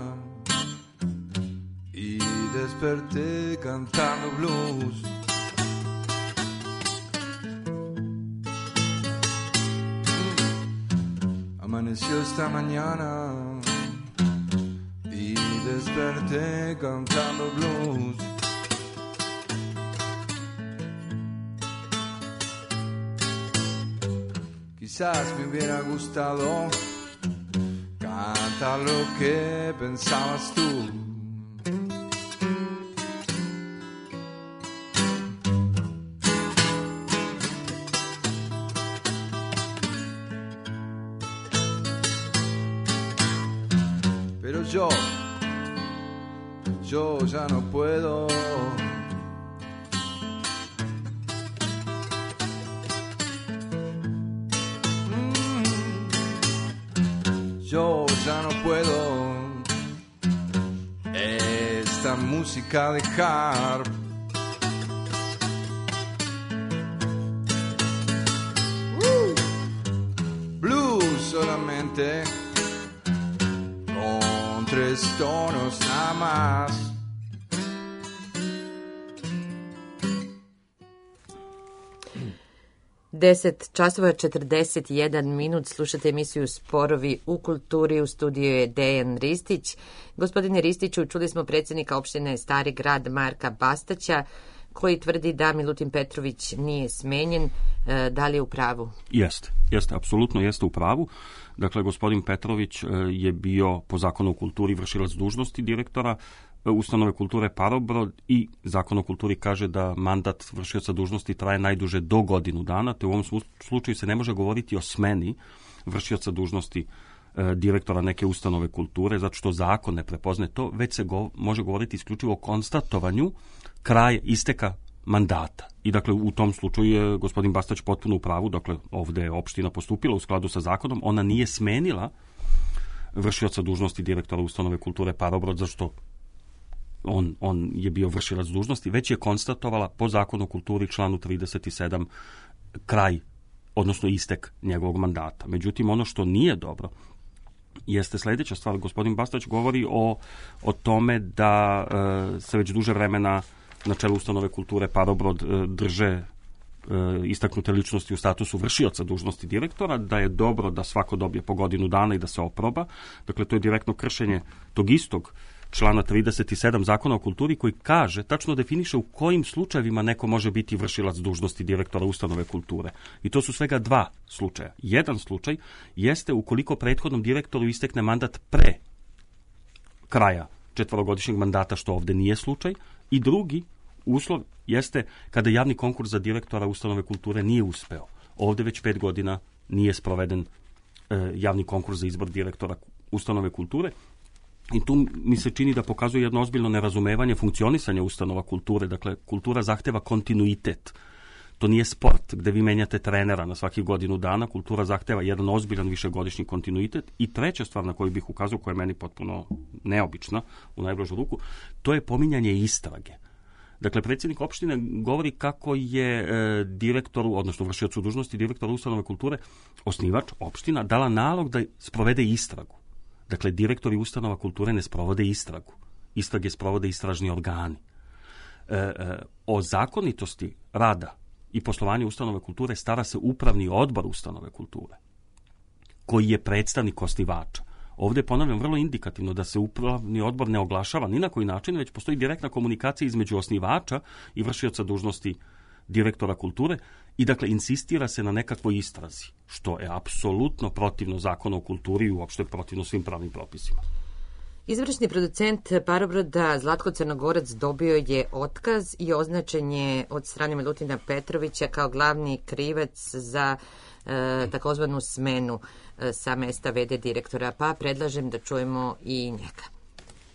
y desperté cantando blues. Amaneció esta mañana y desperté cantando blues. Quizás me hubiera gustado cantar lo que pensabas tú. Pero yo ya no puedo. Yo ya no puedo esta música dejar. Blues solamente con 3 tonos nada más. Deset časova 41 minut, slušate emisiju Sporovi u kulturi, u studiju je Dejan Ristić. Gospodine Ristiću, čuli smo predsjednika opštine Stari Grad Marka Bastaća, koji tvrdi da Milutin Petrović nije smenjen. Da li je u pravu? Jeste, apsolutno jeste u pravu. Dakle, gospodin Petrović je bio po zakonu o kulturi vršilac dužnosti direktora Ustanove kulture Parobrod i Zakon o kulturi kaže da mandat vršioca dužnosti traje najduže do godinu dana, te u ovom slučaju se ne može govoriti o smeni vršioca dužnosti direktora neke ustanove kulture, zato što zakon ne prepoznaje to, već se može govoriti isključivo o konstatovanju kraja isteka mandata. I dakle, u tom slučaju je gospodin Bastać potpuno u pravu, dakle, ovde je opština postupila u skladu sa zakonom, ona nije smenila vršioca dužnosti direktora Ustanove kulture Parobrod, zašto on je bio vršilac dužnosti, već je konstatovala po zakonu o kulturi članu 37 kraj, odnosno istek njegovog mandata. Međutim, ono što nije dobro jeste sledeća stvar. Gospodin Bastać govori o tome da se već duže vremena na čelu Ustanove kulture Parobrod drže istaknute ličnosti u statusu vršioca dužnosti direktora, da je dobro da svako dobije po godinu dana i da se oproba. Dakle, to je direktno kršenje tog istog člana 37 Zakona o kulturi koji kaže, tačno definiše u kojim slučajevima neko može biti vršilac dužnosti direktora Ustanove kulture. I to su svega 2 slučaja. Jedan slučaj jeste ukoliko prethodnom direktoru istekne mandat pre kraja 4-godišnjeg mandata, što ovde nije slučaj, i drugi uslov jeste kada javni konkurs za direktora Ustanove kulture nije uspeo. Ovde već 5 godina nije sproveden javni konkurs za izbor direktora Ustanove kulture. I tu mi se čini da pokazuje jedno ozbiljno nerazumevanje funkcionisanja ustanova kulture. Dakle, kultura zahteva kontinuitet. To nije sport gde vi menjate trenera na svaki godinu dana. Kultura zahteva jedan ozbiljan višegodišnji kontinuitet. I treća stvar na koju bih ukazao, koja je meni potpuno neobična u najblažu ruku, to je pominjanje istrage. Dakle, predsjednik opštine govori kako je direktoru, odnosno vršiocu dužnosti direktora Ustanove kulture, osnivač opština, dala nalog da sprovede istragu. Dakle, direktori ustanova kulture ne sprovode istragu. Istrage sprovode istražni organi. O zakonitosti rada i poslovanja ustanove kulture stara se upravni odbor ustanove kulture, koji je predstavnik osnivača. Ovde ponavljam vrlo indikativno da se upravni odbor ne oglašava ni na koji način, već postoji direktna komunikacija između osnivača i vršioca dužnosti direktora kulture i dakle insistira se na nekakvoj istrazi, što je apsolutno protivno Zakonu o kulturi i uopšte protivno svim pravnim propisima. Izvršni producent Parobroda Zlatko Crnogorac dobio je otkaz i označen je od strane Milutina Petrovića kao glavni krivac za takozvanu smenu sa mesta VD direktora, pa predlažem da čujemo i njega.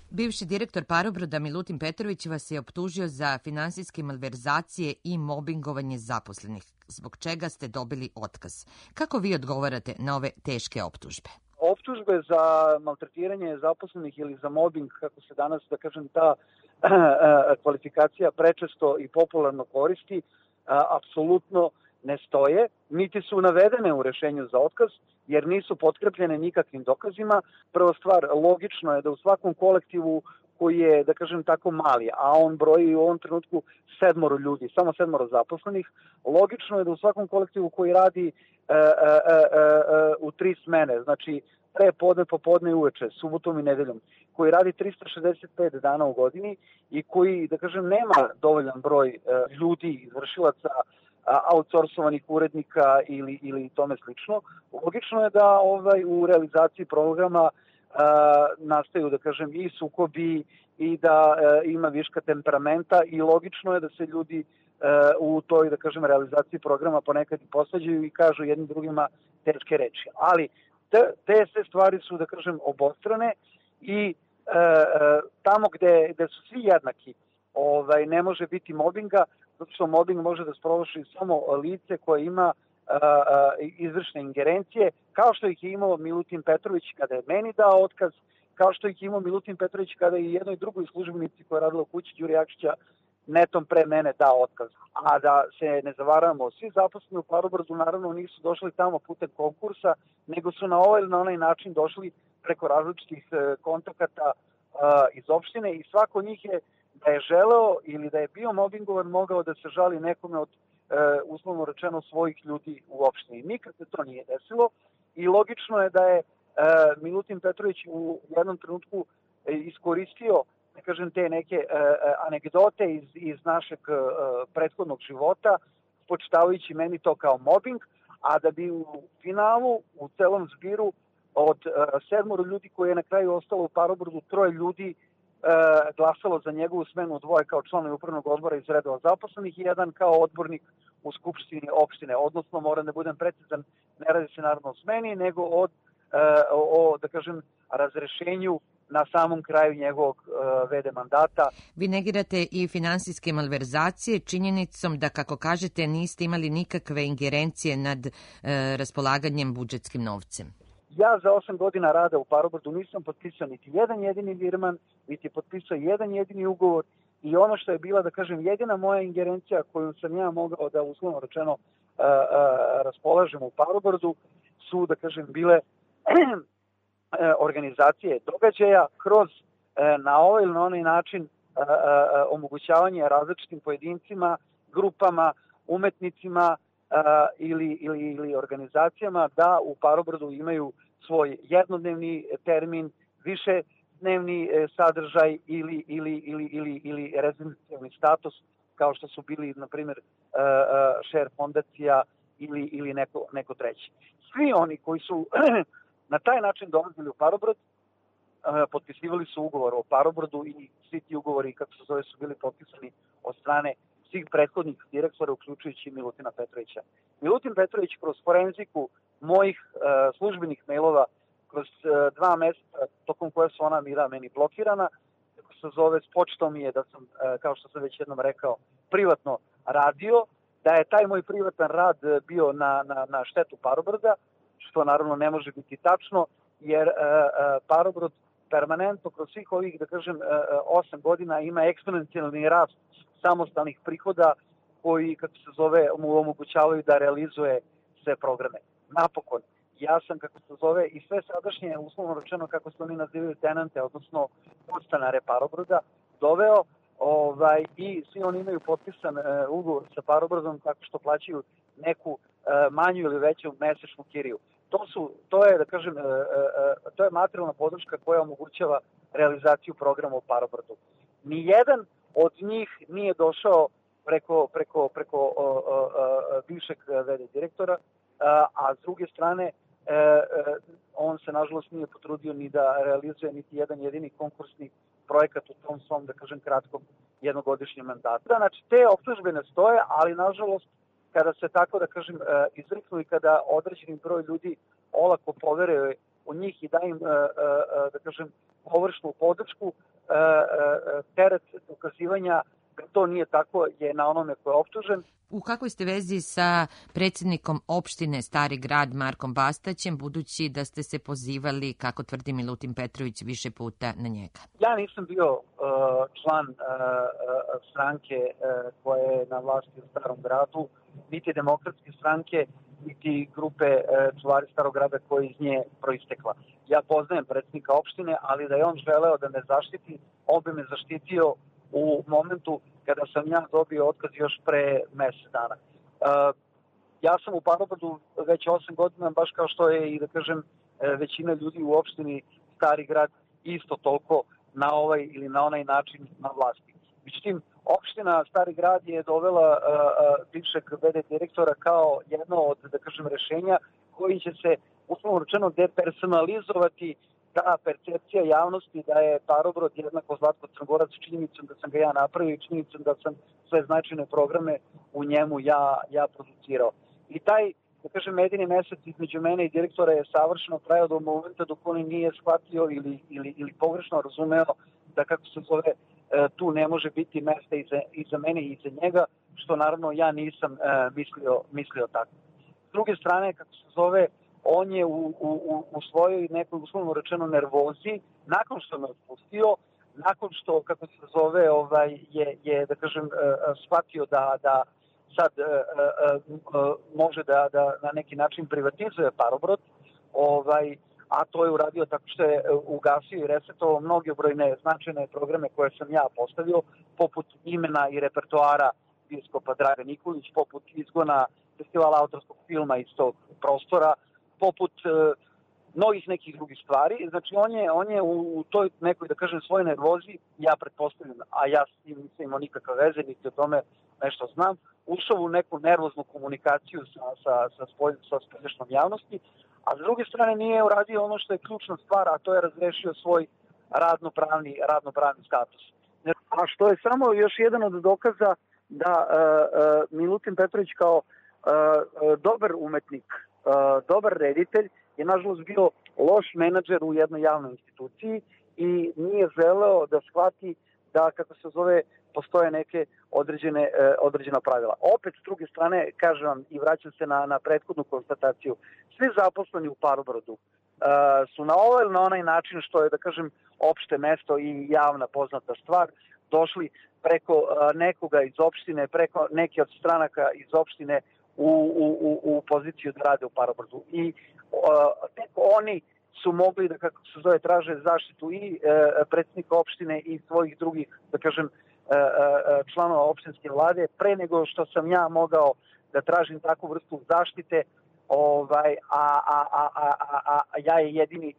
Bivši direktor Parobroda Milutin Petrović vas je optužio za finansijske malverzacije i mobingovanje zaposlenih, zbog čega ste dobili otkaz. Kako vi odgovarate na ove teške optužbe? Optužbe za maltretiranje zaposlenih ili za mobbing, kako se danas, da kažem, ta kvalifikacija prečesto i popularno koristi, apsolutno ne stoje, niti su navedene u rešenju za otkaz, jer nisu potkrepljene nikakvim dokazima. Prva stvar, logično je da u svakom kolektivu koji je, da kažem tako, mali, a on broji u ovom trenutku 7 ljudi, samo 7 zaposlenih, logično je da u svakom kolektivu koji radi u 3 smene, znači pre podne, popodne i uveče, subotom i nedeljom, koji radi 365 dana u godini i koji, da kažem, nema dovoljan broj ljudi, izvršilaca, outsourcovanih urednika ili tome slično, logično je da u realizaciji programa nastaju, da kažem, i sukobi i da ima viška temperamenta i logično je da se ljudi u toj, da kažem, realizaciji programa ponekad i posvađaju i kažu jednim drugima teške reči. Ali te sve stvari su, da kažem, obostrane i tamo gde su svi jednaki ne može biti mobinga, zato što mobbing može da sprovrši samo lice koje ima izvršne ingerencije, kao što ih je imao Milutin Petrović kada je meni dao otkaz, kao što ih je imao Milutin Petrović kada je i jednoj drugoj službenici koja je radila u kući Đuri Jakšića netom pre mene dao otkaz. A da se ne zavaravamo, svi zaposleni u Parobrodu naravno nisu došli tamo putem konkursa, nego su na ovaj ili na onaj način došli preko različitih kontakata iz opštine i svako njih je da je želeo ili da je bio mobingovan mogao da se žali nekome od uslovno rečeno svojih ljudi u opštini. Nikad se to nije desilo i logično je da je Milutin Petrović u jednom trenutku iskoristio, da kažem, te neke anegdote iz našeg prethodnog života, spočitavajući meni to kao mobbing, a da bi u finalu, u celom zbiru od 7 ljudi koji je na kraju ostalo u Parobrodu, 3 ljudi glasalo za njegovu smenu, 2 kao članovi upravnog odbora iz redova zaposlenih i 1 kao odbornik u skupštini opštine. Odnosno, moram da budem precizan, ne radi se naravno o smeni, nego o da kažem, razrešenju na samom kraju njegovog VD mandata. Vi negirate i finansijske malverzacije činjenicom da, kako kažete, niste imali nikakve ingerencije nad raspolaganjem budžetskim novcem. Ja za 8 godina rada u Parobrodu nisam potpisao niti jedan jedini virman, niti potpisao jedan jedini ugovor i ono što je bila, da kažem, jedina moja ingerencija koju sam ja mogao da uslovno rečeno raspolažem u Parobrodu su, da kažem, bile organizacije događaja kroz na ovaj ili na onaj način omogućavanje različitim pojedincima, grupama, umetnicima ili organizacijama da u Parobrodu imaju svoj jednodnevni termin, višednevni sadržaj ili rezidencijalni status, kao što su bili, na primjer, Share fondacija ili neko treći. Svi oni koji su na taj način dolazili u Parobrod, potpisivali su ugovor o Parobrodu i svi ti ugovori, kako se zove, su bili potpisani od strane svih prethodnih direktora, uključujući Milutina Petrovića. Milutin Petrović kroz forenziku mojih službenih mailova, kroz 2 meseca, tokom koje su ona bila meni blokirana, kako se zove, spočitao mi je da sam, kao što sam već jednom rekao, privatno radio, da je taj moj privatan rad bio na štetu Parobroda, što naravno ne može biti tačno, jer Parobrod permanentno kroz svih ovih, da kažem, 8 godina ima eksponencijalni rast samostalnih prihoda koji, kako se zove, mu omogućavaju da realizuje sve programe. Napokon, ja sam, kako se zove, i sve sadašnje, uslovno rečeno, kako se oni nazivaju, tenante, odnosno podstanare Parobroda, doveo i svi oni imaju potpisan ugovor sa Parobrodom tako što plaćaju neku manju ili veću mesečnu kiriju. To je, da kažem, to je materijalna podrška koja omogućava realizaciju programa u Parobrodu. Nijedan od njih nije došao preko bivšeg VD direktora, a s druge strane on se nažalost nije potrudio ni da realizuje niti jedan jedini konkursni projekat u tom svom, da kažem, kratkom jednogodišnjem mandatu. Znači, te optužbe ne stoje, ali nažalost, kada se tako, da kažem, izriknu i kada određeni broj ljudi olako poveruje u njih i da im, da kažem, površnu podršku, teret dokazivanja da to nije tako je na onome ko je optužen. U kakvoj ste vezi sa predsjednikom opštine Stari Grad Markom Bastaćem, budući da ste se pozivali, kako tvrdi Milutin Petrović, više puta na njega? Ja nisam bio član stranke koja je na vlasti u Starom Gradu, niti demokratske stranke, niti grupe čuvari Starog Grada koja iz nje proistekla. Ja poznajem predsjednika opštine, ali da je on želeo da me zaštiti, on bi me zaštitio u momentu kada sam ja dobio otkaz još pre mesec dana. Ja sam u Parobrdu već 8 godina, baš kao što je i, da kažem, većina ljudi u opštini Stari Grad isto toliko na ovaj ili na onaj način na vlasti. Međutim, opština Stari Grad je dovela bivšeg VD direktora kao jedno od, da kažem, rešenja koji će se, uslovno rečeno, depersonalizovati ta percepcija javnosti da je Parobrod jednako Zlatko Crnogorac, činjenicom da sam ga ja napravio i činjenicom da sam sve značajne programe u njemu ja producirao. I taj, da kažem, medijni mesec između mene i direktora je savršeno trajao do momenta dok on nije shvatio ili pogrešno razumeo da, kako se zove, tu ne može biti mesta i za mene i za njega, što naravno ja nisam mislio tako. S druge strane, kako se zove, on je u svojoj nekoj uslovno rečeno nervozi, nakon što me otpustio, nakon što, kako se zove, je da kažem, shvatio da sad može da na neki način privatizuje Parobrod, a to je uradio tako što je ugasio i resetovao mnogobrojne značajne programe koje sam ja postavio, poput imena i repertoara biskupa Draga Nikolić, poput izgona festivala autorskog filma iz tog prostora, poput mnogih nekih drugih stvari. Znači, on je u toj nekoj, da kažem, svojoj nervozi, ja pretpostavljam, a ja s tim nisam imao nikakve veze, niti o tome nešto znam, ušao u neku nervoznu komunikaciju sa spoljašnjom javnosti, a s druge strane nije uradio ono što je ključna stvar, a to je razrešio svoj radnopravni status. A što je samo još jedan od dokaza da Milutin Petrović kao dobar umetnik, dobar reditelj je nažalost bio loš menadžer u jednoj javnoj instituciji i nije želeo da shvati da, kako se zove, postoje neke određena pravila. Opet, s druge strane, kažem vam i vraćam se na prethodnu konstataciju, svi zaposleni u Parobrodu su na ovaj ili na onaj način, što je, da kažem, opšte mesto i javna poznata stvar, došli preko nekoga iz opštine, preko neke od stranaka iz opštine u poziciju da rade u Parobrodu. I tek oni su mogli da, kako se zove, traže zaštitu i predsjednika opštine i svojih drugih, da kažem, članova opštinske vlade, pre nego što sam ja mogao da tražim takvu vrstu zaštite, a ja je jedini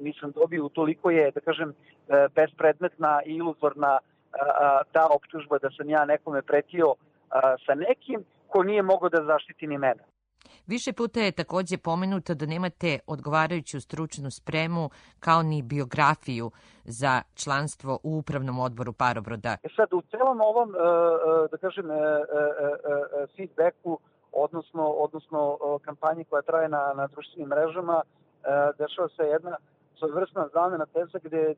nisam dobio. Toliko je, da kažem, bespredmetna i iluzorna ta optužba da sam ja nekome pretio sa nekim ko nije mogao da zaštiti ni mene. Više puta je takođe pomenuto da nemate odgovarajuću stručnu spremu kao ni biografiju za članstvo u upravnom odboru Parobroda. Sad, u celom ovom, da kažem, feedbacku, odnosno kampanji koja traje na društvenim mrežama, dešava se jedna svojevrsna zamena teza gde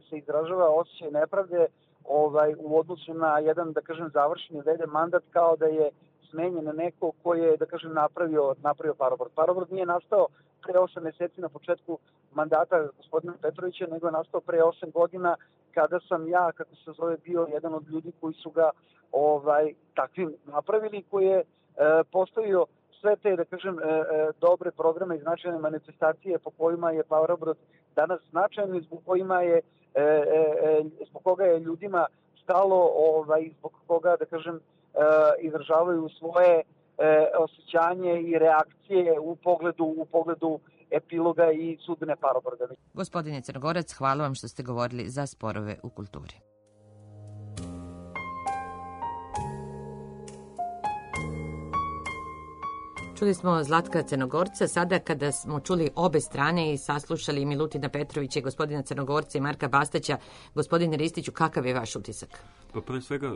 se izražava osjećaj nepravde u odnosu na jedan, da kažem, završeni VD mandat, kao da je smenjen neko ko je, da kažem, napravio Parobrod. Parobrod nije nastao pre 8 meseci na početku mandata gospodina Petrovića, nego je nastao pre 8 godina kada sam ja, kako se zove, bio jedan od ljudi koji su ga takvim napravili, koji je postavio sve te, da kažem, dobre programe i značajne manifestacije po kojima je Parobrod danas značajan i zbog koga je ljudima stalo i zbog koga, da kažem, izražavaju svoje osjećanje i reakcije u pogledu epiloga i sudbine Parobroda. Gospodine Crnogorac, hvala vam što ste govorili za sporove u kulturi. Čuli smo Zlatka Crnogorca, sada kada smo čuli obe strane i saslušali Milutina Petrovića i gospodina Crnogorca i Marka Bastaća, gospodine Ristiću, kakav je vaš utisak? Pa pre svega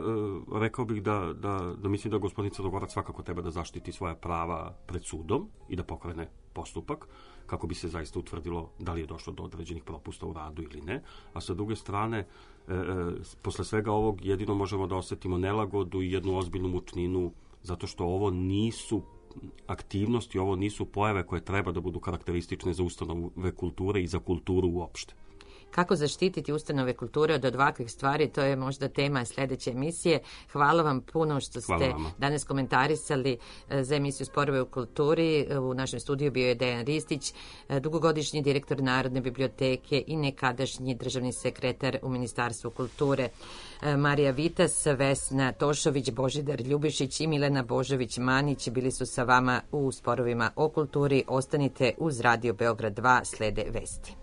rekao bih da mislim da gospodin Crnogorac svakako treba da zaštiti svoja prava pred sudom i da pokrene postupak kako bi se zaista utvrdilo da li je došlo do određenih propusta u radu ili ne. A sa druge strane, posle svega ovog jedino možemo da osetimo nelagodu i jednu ozbiljnu mučninu, zato što ovo nisu aktivnosti, ovo nisu pojave koje treba da budu karakteristične za ustanove kulture i za kulturu uopšte. Kako zaštititi ustanove kulture od ovakvih stvari, to je možda tema sledeće emisije. Hvala vam puno što ste danas komentarisali za emisiju Sporove u kulturi. U našem studiju bio je Dejan Ristić, dugogodišnji direktor Narodne biblioteke i nekadašnji državni sekretar u Ministarstvu kulture. Marija Vitas, Vesna Tošović, Božidar Ljubišić i Milena Božović-Manić bili su sa vama u Sporovima o kulturi. Ostanite uz Radio Beograd 2, slede vesti.